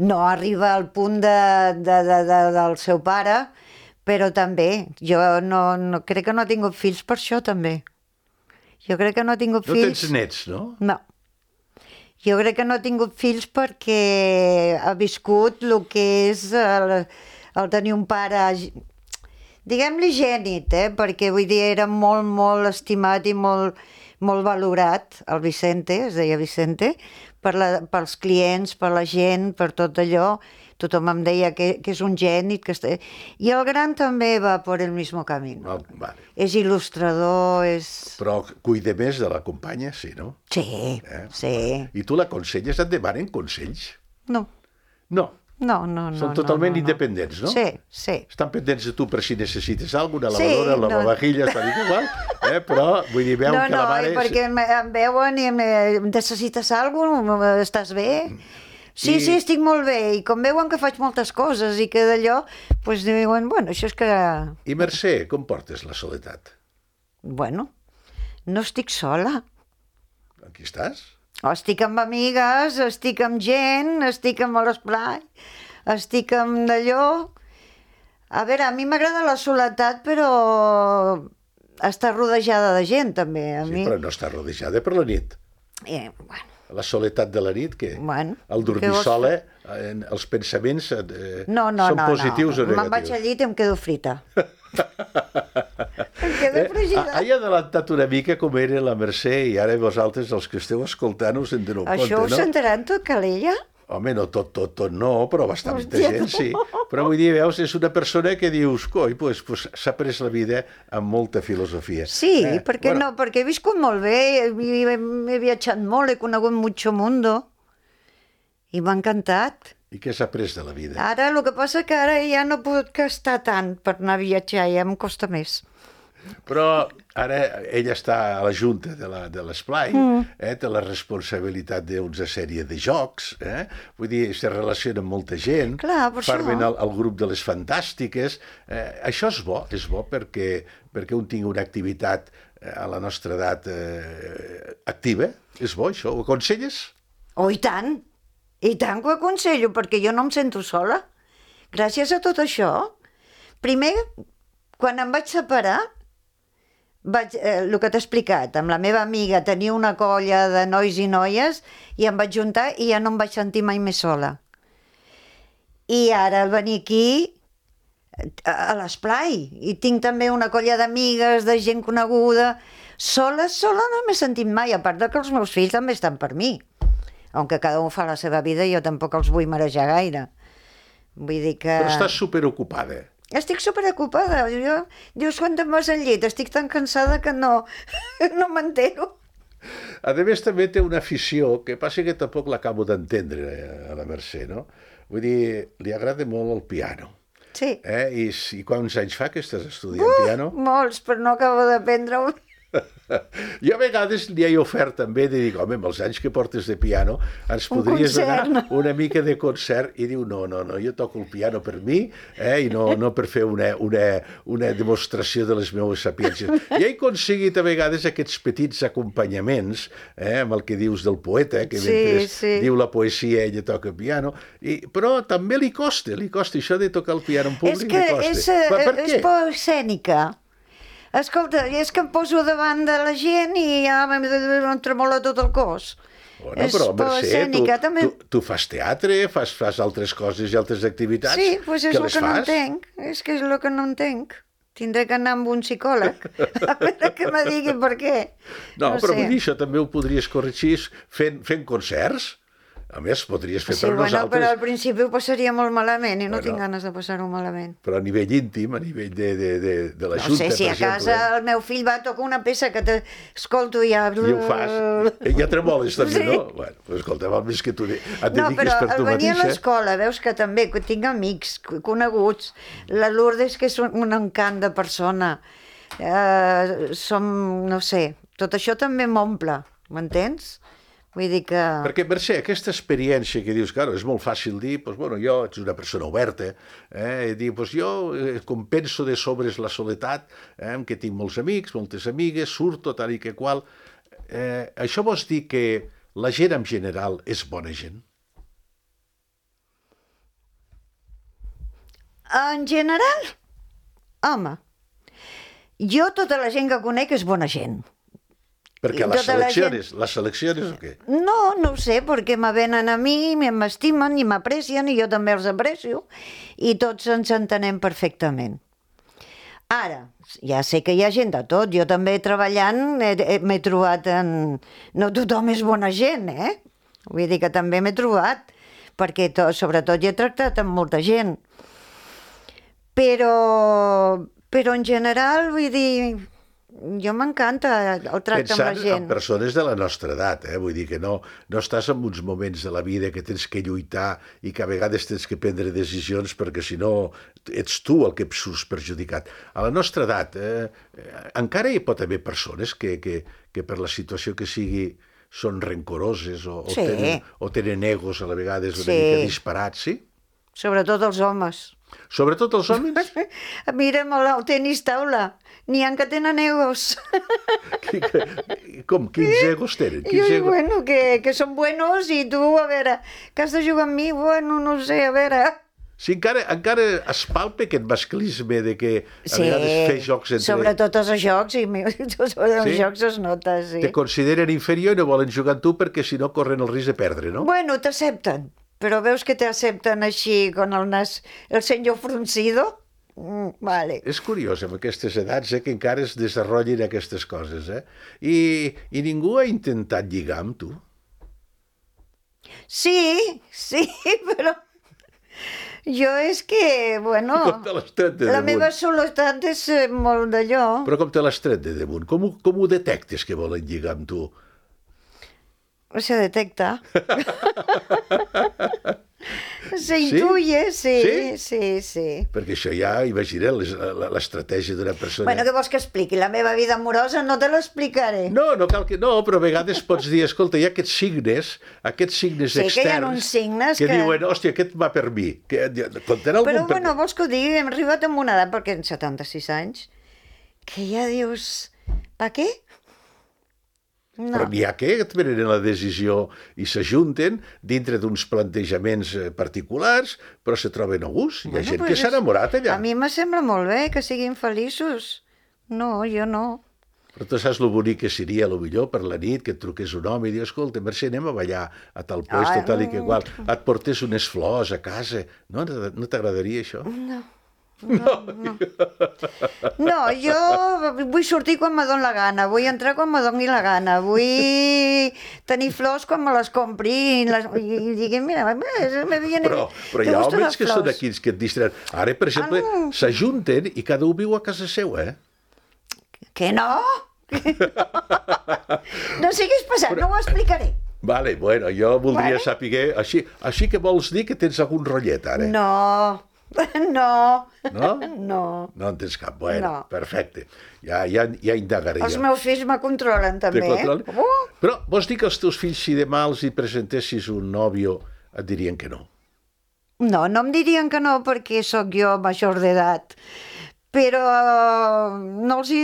no arriba al punt del seu pare, però també. Jo no crec que no ha tingut fills per això, també. Jo crec que no ha tingut fills... No tens nets, no? No. Jo crec que no ha tingut fills perquè ha viscut el que és... el tenir un pare, diguem-li gènit, perquè vull dir, era molt, molt estimat i molt, molt valorat, el Vicente, es deia Vicente, pels clients, per la gent, per tot allò. Tothom em deia que és un gènit. I el gran també va per el mismo camino. Vale. És il·lustrador, és... Però cuida més de la companya, sí, no? Sí, sí. I tu l'aconselles? Et demanen consells? No. No. No, no, no. Són totalment no. independents, no? Sí, sí. Estan pendents de tu per si necessites alguna cosa, una lavadora, lavavajilles, tal i igual, però vull dir, veuen que la mare... No, perquè em veuen i necessites alguna cosa, estàs bé? Sí, estic molt bé, i com veuen que faig moltes coses i que d'allò, doncs diuen, bueno, això és que... I Mercè, com portes la soledat? Bueno, no estic sola. Aquí estàs? Estic amb amigues, estic amb gent, estic amb l'esplai, estic amb d'allò... A veure, a mi m'agrada la soledat, però estar rodejada de gent, també. Sí, però no està rodejada per la nit. Bueno. La soledat de la nit, què? Bueno, el dormir sola, els pensaments són positius o negatius? Me'n vaig al llit i em quedo frita. Em quedo fregida. He adelantat una mica com era la Mercè i ara vosaltres, els que esteu escoltant, us en doneu compte, no? Això ho sentaran tot, Calella? Home, no tot no, però bastanta gent, sí. Però vull dir, veus, és una persona que dius, coi, pues, s'ha pres la vida amb molta filosofia. Sí, perquè no, perquè he viscut molt bé, he viatjat molt, he conegut mucho mundo, i m'ha encantat. I què s'ha pres de la vida? Ara, el que passa que ara ja no puc gastar tant per anar a viatjar, ja em costa més. Però ara ella està a la junta de l'Esplai, té la responsabilitat d'una sèrie de jocs, vull dir, se relaciona amb molta gent, formen el grup de les fantàstiques. Això és bo perquè un tingui una activitat a la nostra edat activa. És bo, això. Ho aconselles? Oh, i tant que ho aconsello, perquè jo no em sento sola. Gràcies a tot això. Primer, quan em vaig separar, el que t'he explicat, amb la meva amiga tenia una colla de nois i noies i em vaig juntar i ja no em vaig sentir mai més sola. I ara al venir aquí a l'Esplai i tinc també una colla d'amigues, de gent coneguda, sola no m'he sentit mai, a part que els meus fills també estan per mi, aunque cada un fa la seva vida i jo tampoc els vull marejar gaire. Vull dir que... Però estàs superocupada. Estic superocupada. Dius, quan te'n vas al llit? Estic tan cansada que no m'entero. A més, també té una afició, que passa que tampoc l'acabo d'entendre, a la Mercè, no? Vull dir, li agrada molt el piano. Sí. I quants anys fa que estàs estudiant piano? Molts, però no acabo d'aprendre-ho. Jo a vegades li he ofert també de dir, home, amb els anys que portes de piano ens podries donar una mica de concert, i diu, no, jo toco el piano per mi i no per fer una demostració de les meves sapiències. I he aconseguit a vegades aquests petits acompanyaments amb el que dius del poeta, que mentre diu la poesia ella toca piano, però també li costa això de tocar el piano en públic, li costa. Per què? És por escènica. Escolta, és que em poso davant de la gent i ja em tremola tot el cos. Bueno, però, Mercè, tu fas teatre, fas altres coses i altres activitats. Sí, doncs és el que no entenc. És que és el que no entenc. Tindré que anar amb un psicòleg a veure que me digui per què. No, però vull dir, això també ho podries corregir fent concerts. A més, podries fer per nosaltres... Però al principi ho passaria molt malament i no tinc ganes de passar-ho malament. Però a nivell íntim, a nivell de la Junta, per exemple... No sé, si a casa el meu fill va tocar una peça que t'escolto i ja... I ho fas. Ja tremoles també, no? Bueno, però escolta, val més que tu et dediquis per tu mateixa. No, però al venir a l'escola, veus que també tinc amics coneguts. La Lourdes, que és un encant de persona. No sé, tot això també m'omple, m'entens? Vull dir que... Perquè, Mercè, aquesta experiència que dius, claro, és molt fàcil dir, doncs, bueno, jo ets una persona oberta, i dir, doncs jo, com penso de sobres la soledat, que tinc molts amics, moltes amigues, surto tal i que qual, això vols dir que la gent en general és bona gent? En general? Home, jo tota la gent que conec és bona gent. Perquè les selecciones o què? No ho sé, perquè me venen a mi, m'estimen i m'aprecien i jo també els aprecio i tots ens entenem perfectament. Ara, ja sé que hi ha gent de tot, jo també treballant m'he trobat en... No tothom és bona gent, Vull dir que també m'he trobat, perquè sobretot hi he tractat amb molta gent. Però en general, vull dir... Jo m'encanta el tracte amb la Pensant gent. en persones de la nostra edat, vull dir que no estàs en uns moments de la vida que tens que lluitar i que a vegades tens que prendre decisions perquè si no ets tu el que surts perjudicat. A la nostra edat encara hi pot haver persones que per la situació que sigui són rencoroses o tenen egos a la vegades una mica disparats, sí? Sobretot els homes. Sobretot els homes? Mira'm el tenis taula. N'hi ha que tenen egos. Com? Quins egos tenen? Bueno, que són buenos i tu, a veure, que has de jugar amb mi? Bueno, no sé, a veure... Sí, encara es palpa aquest masclisme de que a vegades fer jocs entre... Sobretot els jocs, i tots els jocs es nota, sí. Te consideren inferior i no volen jugar amb tu perquè si no corren el risc de perdre, no? Bueno, t'accepten, però veus que t'accepten així, con el nas, el senyor fruncido? Vale. És curiós, amb aquestes edats, que encara es desenvolupin aquestes coses, I ningú ha intentat lligar amb tu? Sí, però... Jo és que, bueno, la meva soledat és molt d'allò. Però com te l'has tret de damunt? Com ho detectes que volen lligar amb tu? Se detecta. S'intuye, sí. Perquè això ja, imagina't, l'estratègia d'una persona... Bueno, què vols que expliqui? La meva vida amorosa no te l'explicaré. No cal que... No, però a vegades pots dir, escolta, hi ha aquests signes externs... Sí, que hi ha uns signes que diuen, hòstia, aquest va per mi. Però, bueno, vols que ho digui? Hem arribat a una edat, perquè en 76 anys, que ja dius, pa què? No. Però n'hi ha que prenen la decisió i s'ajunten dintre d'uns plantejaments particulars, però se troben a gust. Hi ha gent que s'ha enamorat allà. A mi me sembla molt bé que siguin feliços. No, jo no. Però tu saps lo bonic que seria, millor per la nit, que et truqués un home i dius, escolta, Mercè, anem a ballar a tal lloc, tal i que igual. Et portés unes flors a casa. No t'agradaria això? No, jo vull sortir quan me doni la gana, vull entrar quan me doni la gana, vull tenir flors quan me les compri i digui, mira, me viene... Però hi ha homes que són aquí que et distreuen. Ara, per exemple, s'ajunten i cada un viu a casa seva, Que no? No siguis pesat, no ho explicaré. Vale, bueno, jo voldria saber... Així que vols dir que tens algun rotllet, ara? No. No? No. No en tens cap. Bueno, perfecte. Ja indagaré. Els meus fills me controlen, també. Però vols dir que els teus fills, si demà els hi presentessis un nòvio, et dirien que no? No em dirien que no, perquè sóc jo major d'edat. Però jo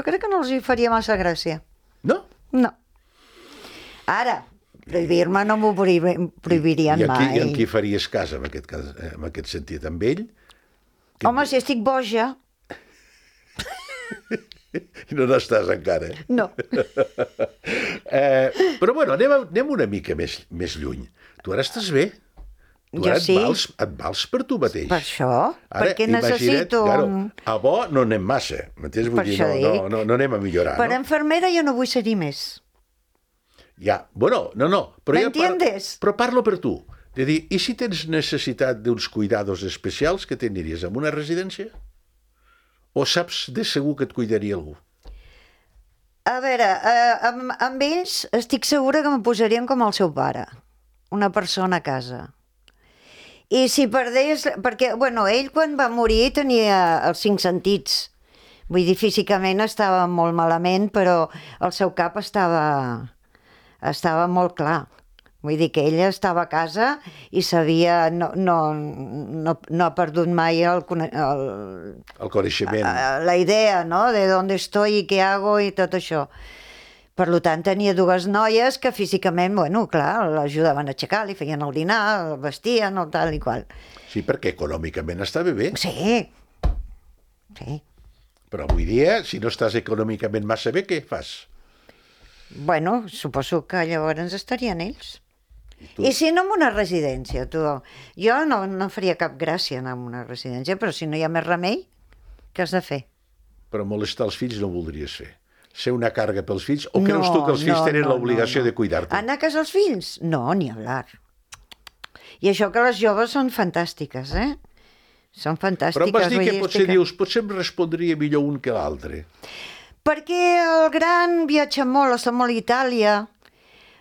crec que no els hi faria massa gràcia. No? No. Ara, prohibir-me no m'ho prohibirien mai. I amb qui faries cas, en aquest sentit? Amb ell? Home, si estic boja... I no n'estàs encara. No. Però bueno, anem una mica més lluny. Tu ara estàs bé. Tu ara et vals per tu mateix. Per això, perquè necessito... A bo no anem massa, m'entens? Vull dir, no anem a millorar. Per enfermera jo no vull ser-hi més. Ja, bueno, no. ¿M'entiendes? Però parlo per tu. De dir, i si tens necessitat d'uns cuidados especials, que t'aniries a una residència? O saps de segur que et cuidaria algú? A veure, amb ells estic segura que me posarien com el seu pare. Una persona a casa. I si perdés... Perquè, bueno, ell quan va morir tenia els 5 sentits. Vull dir, físicament estava molt malament, però el seu cap estava molt clar. Vull dir que ella estava a casa i sabia... No ha perdut mai el coneixement. La idea, no?, de d'on estoy i què hago i tot això. Per tant, tenia 2 noies que físicament, bueno, clar, l'ajudaven a aixecar, li feien el dinar, el vestien, el tal i qual. Sí, perquè econòmicament estava bé. Sí. Però avui dia, si no estàs econòmicament massa bé, què fas? Bueno, suposo que llavors estarien ells. I si no en una residència, tu? Jo no faria cap gràcia anar a una residència, però si no hi ha més remei, què has de fer? Però molestar els fills no voldries fer. Ser una càrrega pels fills? O creus tu que els fills tenen l'obligació de cuidar-te? Anar a casa els fills? No, ni hablar. I això que les joves són fantàstiques, Són Però fantàstiques. em vas dir vull que dir, potser dius, potser em respondria millor un que l'altre. Perquè el gran viatja molt, està molt a Itàlia,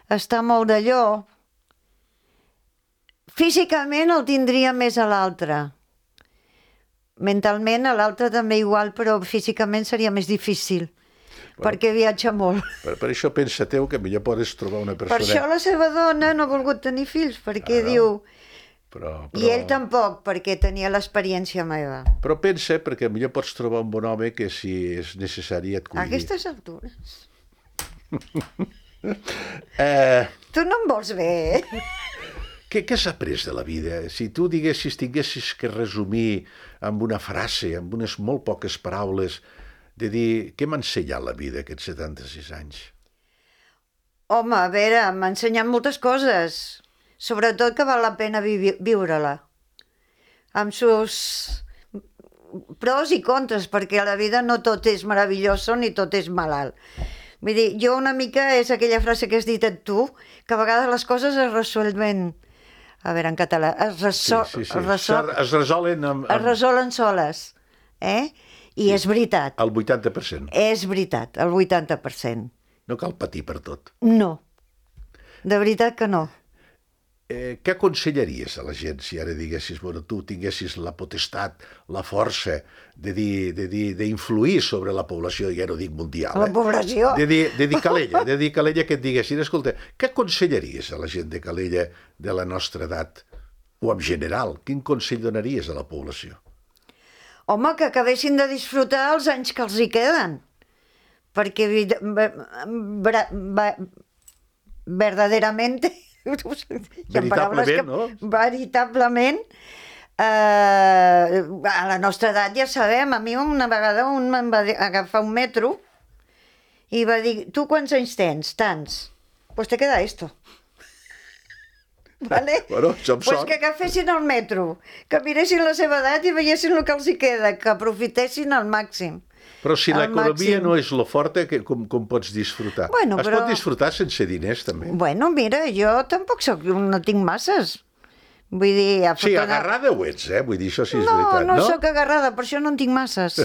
està molt d'allò. Físicament el tindria més a l'altre. Mentalment a l'altre també igual, però físicament seria més difícil, perquè viatja molt. Per això pensa teu que millor podes trobar una Per persona... això la seva dona no ha volgut tenir fills, perquè diu... Però... I ell tampoc, perquè tenia l'experiència meva. Però pensa, perquè millor pots trobar un bon home que si és necessari et A cuidi. aquestes altures. Tu no em vols bé, eh? Què has après de la vida? Si tu tinguessis que resumir amb una frase, amb unes molt poques paraules, de dir, què m'ha ensenyat la vida aquests 76 anys? Home, a veure, m'ha ensenyat moltes coses. Sobretot que val la pena viure-la. Amb sus pros i contres, perquè a la vida no tot és meravelloso ni tot és malalt. Vull dir, jo una mica és aquella frase que has dit tu, que a vegades les coses es resolven... A veure, en català, es resolen es resolen soles, eh? I és veritat. El 80%. És veritat, el 80%. No cal patir per tot. No, de veritat que no. Què aconsellaries a la gent si ara diguessis, bueno, tu tinguessis la potestat, la força d'influir sobre la població, ja no dic mundial, La població? de dir Calella, que et diguessin, escolta, què aconsellaries a la gent de Calella de la nostra edat, o en general, quin consell donaries a la població? Home, que acabessin de disfrutar els anys que els hi queden, perquè verdaderament... Veritablement, no? Veritablement, a la nostra edat ja sabem, a mi una vegada un em va agafar un metro i va dir, tu quants anys tens? Tants. Pues te queda esto. Vale? Bueno, això amb pues sort. que agafessin el metro, que miressin la seva edat i veiessin el que els hi queda, que aprofitessin al màxim. Però si Al l'economia màxim. no és lo forta, com pots disfrutar? Bueno, Es pot disfrutar sense diners, també. Bueno, mira, jo tampoc no tinc masses. Vull dir... Sí, agarrada ho ets, Vull dir, això sí és veritat, no? No sóc agarrada, per això no en tinc masses.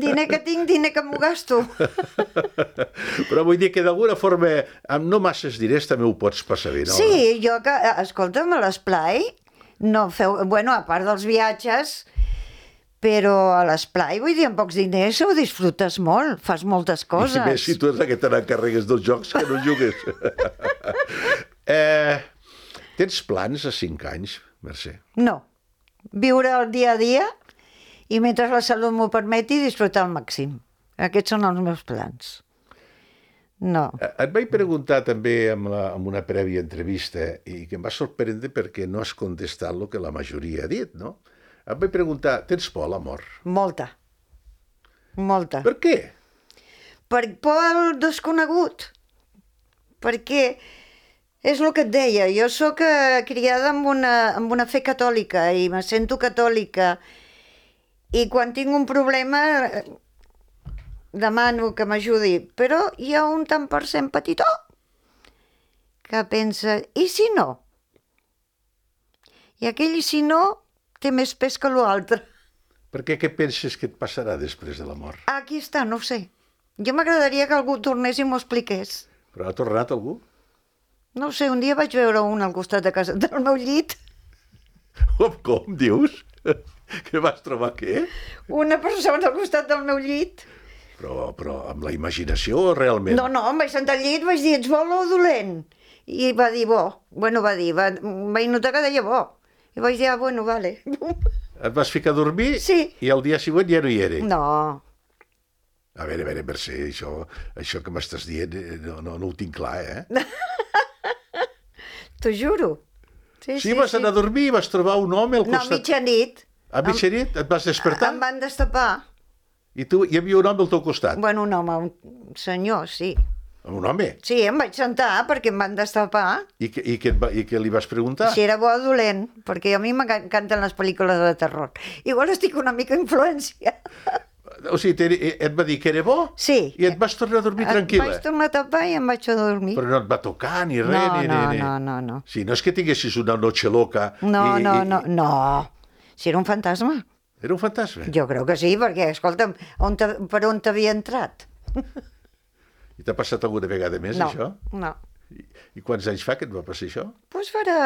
Diner que tinc, diner que m'ho gasto. Però vull dir que d'alguna forma, amb no masses diners també ho pots passar bé, no? Sí, jo que... Escolta'm, a l'esplai, no feu... Bueno, a part dels viatges, però a l'esplai, vull dir, amb pocs diners ho disfrutes molt, fas moltes coses. I més si tu ets la que te n'encarregues dels jocs que no jugues. Tens plans a 5 anys, Mercè? No. Viure el dia a dia i mentre la salut m'ho permeti disfrutar al màxim. Aquests són els meus plans. No. Et vaig preguntar també amb una prèvia entrevista i que em va sorprendre perquè no has contestat el que la majoria ha dit, no? Et vaig preguntar, tens por a la mort? Molta. Molta. Per què? Per por al desconegut. Perquè és el que et deia, jo sóc criada amb una fe catòlica i me sento catòlica i quan tinc un problema demano que m'ajudi, però hi ha un tant per cent petitó que pensa, i si no? I aquell i si no té més pes que l'altre. Per què penses que et passarà després de la mort? Aquí està, no ho sé. Jo m'agradaria que algú tornés i m'ho expliqués. Però ha tornat algú? No ho sé, un dia vaig veure un al costat de casa del meu llit. Com dius? Que vas trobar què? Una persona al costat del meu llit. Però amb la imaginació o realment? No, em vaig sentar al llit, vaig dir, ets bo o dolent? I va dir bo. Bueno, vaig notar que deia bo. I vaig dir, bueno, vale. Et vas ficar a dormir? Sí. I el dia següent ja no hi era? No. A veure, Mercè, això que m'estàs dient no ho tinc clar, T'ho juro. Sí, vas anar a dormir i vas trobar un home al costat... No, a mitjanit. A mitjanit? Et vas despertar? Em van destapar. I tu, hi havia un home al teu costat? Bueno, un home, un senyor, sí. Un home? Sí, em vaig sentar perquè em van destapar. I què li vas preguntar? Si era bo o dolent, perquè a mi m'encanten les pel·lícules de terror. Igual estic una mica influència. O sigui, et va dir que era bo? Sí. I et vas tornar a dormir tranquil·la? Vaig tornar a tapar i em vaig a dormir. Però no et va tocar ni res? No. Sí, no és que tinguessis una noche loca. No. Si era un fantasma. Era un fantasma? Jo crec que sí, perquè, escolta'm, per on t'havia entrat? I t'ha passat alguna vegada més, No, això? no. I quants anys fa que et va passar això? Doncs farà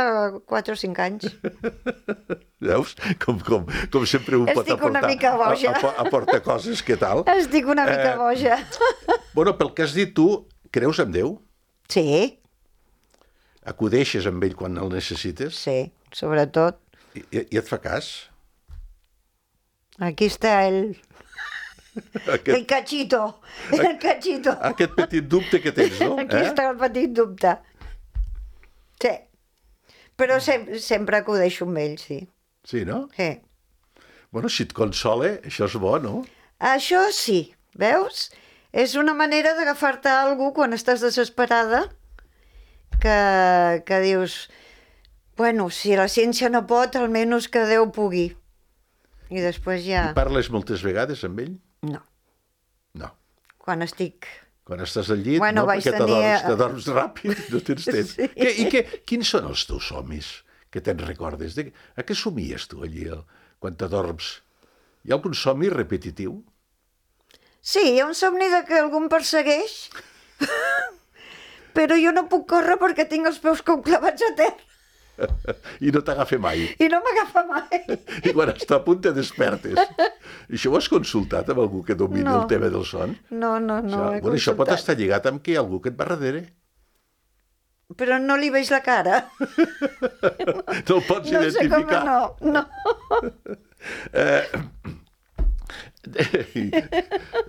4 o 5 anys. Veus? Com sempre un pot Estic una aportar, mica boja. aporta coses, què tal? Estic una mica boja. Bueno, pel que has dit tu, creus en Déu? Sí, Acudeixes amb ell quan el necessites? sí, sobretot. I et fa cas? Aquí està el cachito, el cachito. Aquest petit dubte que tens, no? Aquí està el petit dubte. Sí, però sempre acudeixo amb ell, sí. Sí, no? Sí. Bueno, si et consola, això és bo, no? Això sí, veus? És una manera d'agafar-te a algú quan estàs desesperada que dius, bueno, si la ciència no pot, almenys que Déu pugui. I després ja... I parles moltes vegades amb ell? No, No. quan estic... Quan estàs al llit, Bueno, no? vaig Perquè tenir- t'adorms ràpid, no tens temps. Sí. Quins són els teus somnis que te'n recordes? A què somies tu allí quan t'adorms? Hi ha algun somni repetitiu? Sí, hi ha un somni de que algú em persegueix, però jo no puc córrer perquè tinc els peus com clavats a terra I no t'agafa mai. i no m'agafa mai. I quan està a punt te despertes. I això ho has consultat amb algú que domini No. el tema del son? No, Això pot estar lligat amb que hi ha algú que et va darrere. Però no li veig la cara. No el pots No sé com identificar. no.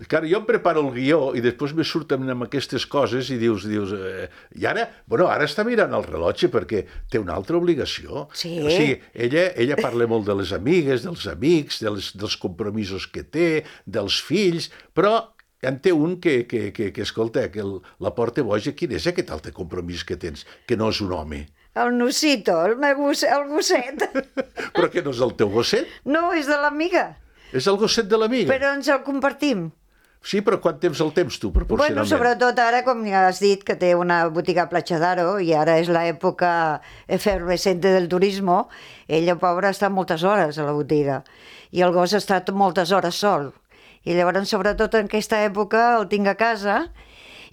Clar, jo em preparo el guió i després me surten amb aquestes coses i dius i ara, ara està mirant el rellotge perquè té una altra obligació. Sí. O sigui, ella parla molt de les amigues, dels amics, dels compromisos que té, dels fills, però en té un que escolta, que la porta boja. Quin és aquest altre compromís que tens? Que no és un home. El Nusito, el gosset. Però que no és el teu gosset? No, és de l'amiga, És el gosset de l'amiga. però ens el compartim. Sí, però quant temps el temps tu, Bueno, proporcionalment? sobretot ara, com ja has dit, que té una botiga a Platja d'Aro i ara és l'època efervescente del turismo, ella, pobra, està moltes hores a la botiga i el gos ha estat moltes hores sol. I llavors, sobretot en aquesta època, el tinc a casa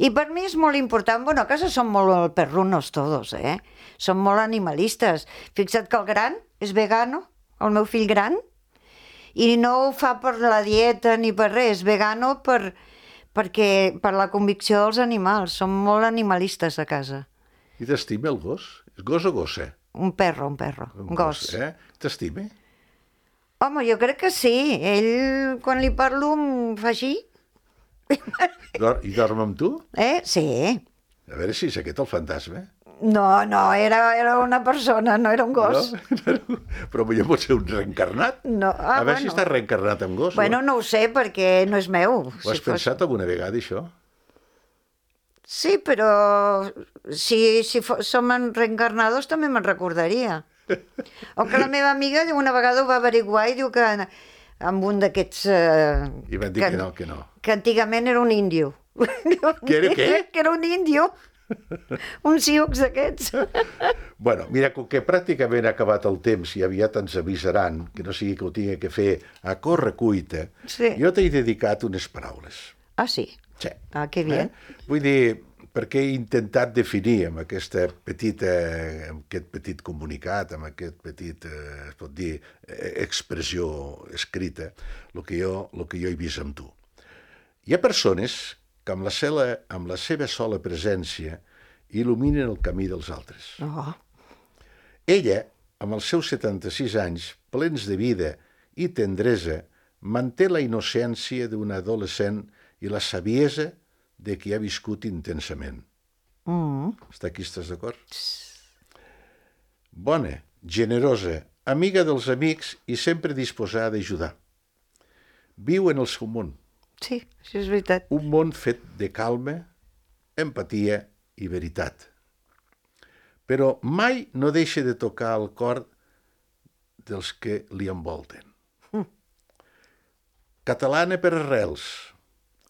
i per mi és molt important. Bueno, a casa som molt perrunos todos, Som molt animalistes. Fixa't que el gran és vegano, el meu fill gran, i no ho fa per la dieta ni per res, vegano per la convicció dels animals. Som molt animalistes a casa. I t'estima el gos? És gos o gossa? Un perro, un gos. T'estima? Home, jo crec que sí. Ell, quan li parlo, em fa així. I dorm amb tu? Sí. A veure si és aquest el fantasma. No, era una persona, no era un gos. No? Però potser pot ser un reencarnat. No. A veure si està reencarnat en gos. Bueno, no ho sé, perquè no és meu. Ho has pensat alguna vegada, això? Sí, però si som reencarnados també me'n recordaria. O que la meva amiga una vegada ho va averiguar i diu que amb un d'aquests... I van dir que no. Que antigament era un índio. Que era què? Que era un índio. Un sioux d'aquests. Bueno, mira, com que pràcticament ha acabat el temps i aviat ens avisaran, que no sigui que ho tingui que fer a corre cuita, Sí. jo t'he dedicat unes paraules. Ah, sí? Sí. Ah, que bé. Vull dir, perquè he intentat definir amb aquest petit comunicat, amb aquest petit, es pot dir, expressió escrita, el que jo he vist amb tu. Hi ha persones que amb la seva sola presència il·luminen el camí dels altres. Oh. Ella, amb els seus 76 anys, plens de vida i tendresa, manté la innocència d'una adolescent i la saviesa de qui ha viscut intensament. Està aquí, estàs d'acord? Bona, generosa, amiga dels amics i sempre disposada a ajudar. Viu en el seu món. Sí, això és veritat. Un món fet de calma, empatia i veritat. Però mai no deixa de tocar el cor dels que li envolten. Catalana per arrels,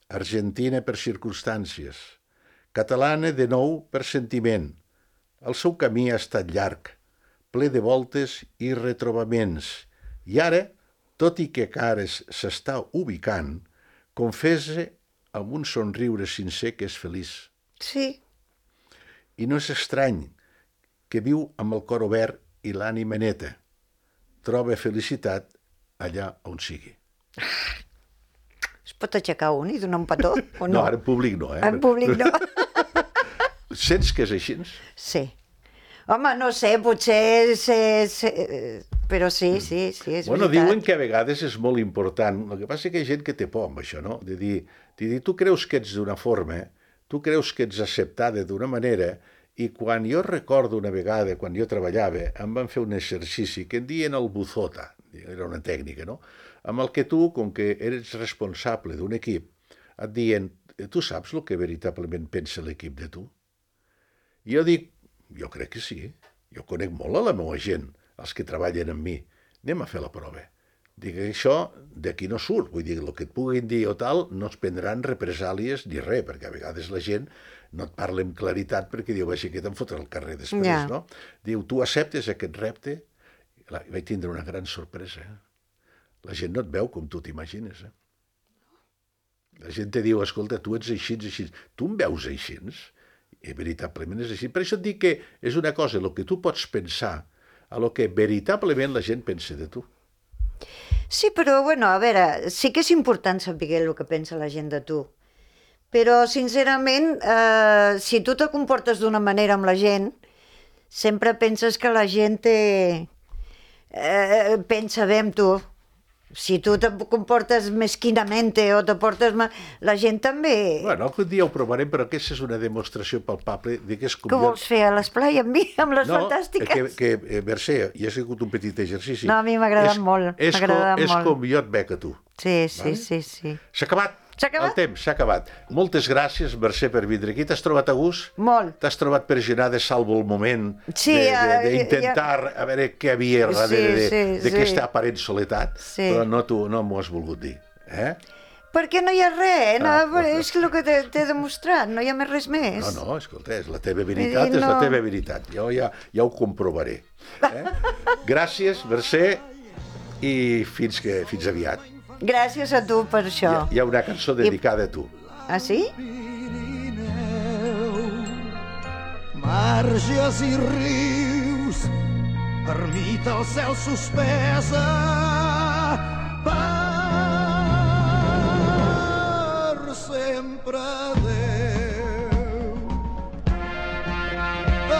argentina per circumstàncies, catalana de nou per sentiment. El seu camí ha estat llarg, ple de voltes i retrobaments, I ara, tot i que Cares s'està ubicant, confessa amb un somriure sincer que és feliç. Sí. I no és estrany que viu amb el cor obert i l'ànima neta. Troba felicitat allà on sigui. Es pot aixecar un i donar un petó? O no? No, ara en públic no, En públic no. Sents que és així? Sí. Home, no sé, potser... Però sí, és Bueno, veritat. diuen que a vegades és molt important. El que passa és que hi ha gent que té por amb això, no? De dir, tu creus que ets d'una forma, tu creus que ets acceptada d'una manera, i quan jo recordo una vegada, quan jo treballava, em van fer un exercici que en diuen el buzota, era una tècnica, no? Amb el que tu, com que eres responsable d'un equip, et diuen, tu saps el que veritablement pensa l'equip de tu? I jo dic, jo crec que sí, jo conec molt a la meva gent, els que treballen amb mi, anem a fer la prova. Dic, això d'aquí no surt, vull dir, el que et puguin dir o tal, no es prendran represàlies ni res, perquè a vegades la gent no et parla amb claritat perquè diu, així que te'n fotrà al carrer després, Ja. no? Diu, tu acceptes aquest repte? Vaig tindre una gran sorpresa. La gent no et veu com tu t'imagines. La gent te diu, escolta, tu ets així, així. Tu em veus així? I veritablement és així. Per això et dic que és una cosa, el que tu pots pensar, a lo que veritablement la gent pensa de tu. Sí, però, bueno, a veure, sí que és important saber el que pensa la gent de tu. Però, sincerament, si tu te comportes d'una manera amb la gent, sempre penses que la gent pensa bé amb tu. Si tu te comportes mesquinament o te portes... La gent també... Bueno, algun dia ho provarem, però aquesta és una demostració palpable de que és com... Què vols fer a l'esplai amb mi, amb les fantàstiques? Que Mercè, hi ha sigut un petit exercici. No, a mi m'ha agradat molt. És com jo et veig a tu. Sí. S'ha acabat. S'ha acabat? El temps, s'ha acabat. Moltes gràcies, Mercè, per vindre aquí. T'has trobat a gust? Molt. T'has trobat per genar de salvo el moment Sí, d'intentar a veure què havia darrere d'aquesta aparent soledat, Sí. però no m'ho has volgut dir. Perquè no hi ha res, és el que t'he demostrat, no hi ha més res més. No, escolta, és la teva veritat, és la teva veritat. Jo ja ho comprovaré. Gràcies, Mercè, i fins aviat. Gràcies a tu per això. Hi ha una cançó dedicada a tu. Ah, sí? Marges i rius, ermita al cel suspesa, per sempre Déu.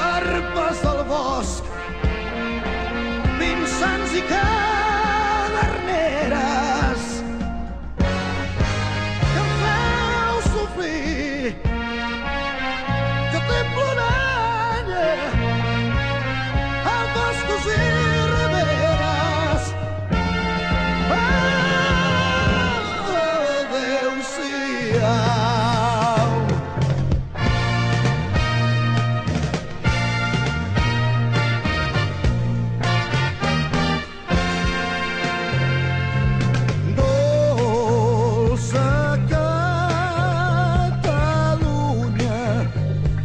Arpes del bosc, pinsans i caderneres, que em feu sofrir, que té ploranya, a boscos i riberes. Adéu-siau. Dolça Catalunya,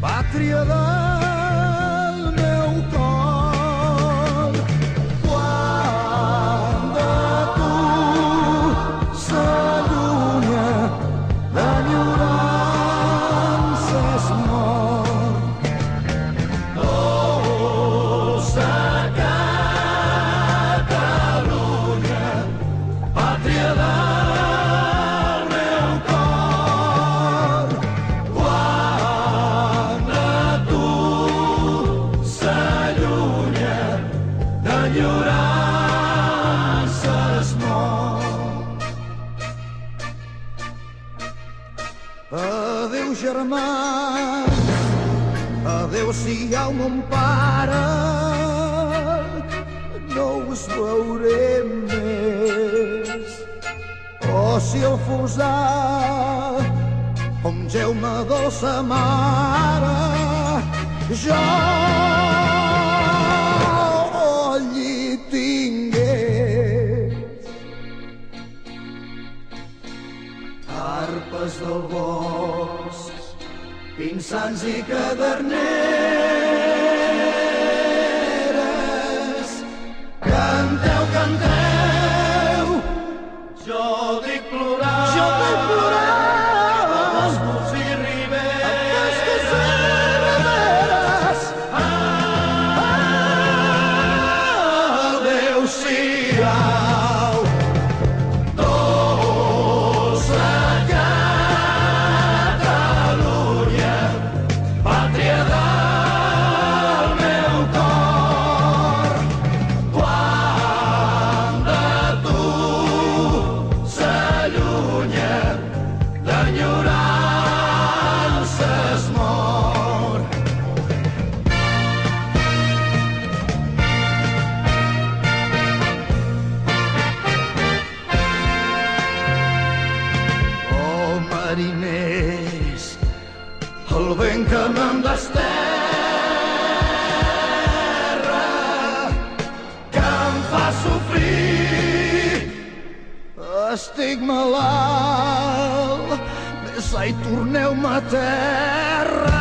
pàtria del meu cor, quan de tu s'allunya, d'enyorança es mor. Dolça Catalunya, pàtria del meu cor, quan de tu s'allunya, d'enyorança es mor. Adéu, germans, adéu-siau, mon pare, no us veuré més. Oh, si el fosà, com Jaume dolça mare, jo allí tingués. Arpes del bosc, pinsans i caderneres, canteu, canteu, trenca'm amb desterra, que em fa sofrir. Estic malalt, vés i torneu-me a terra.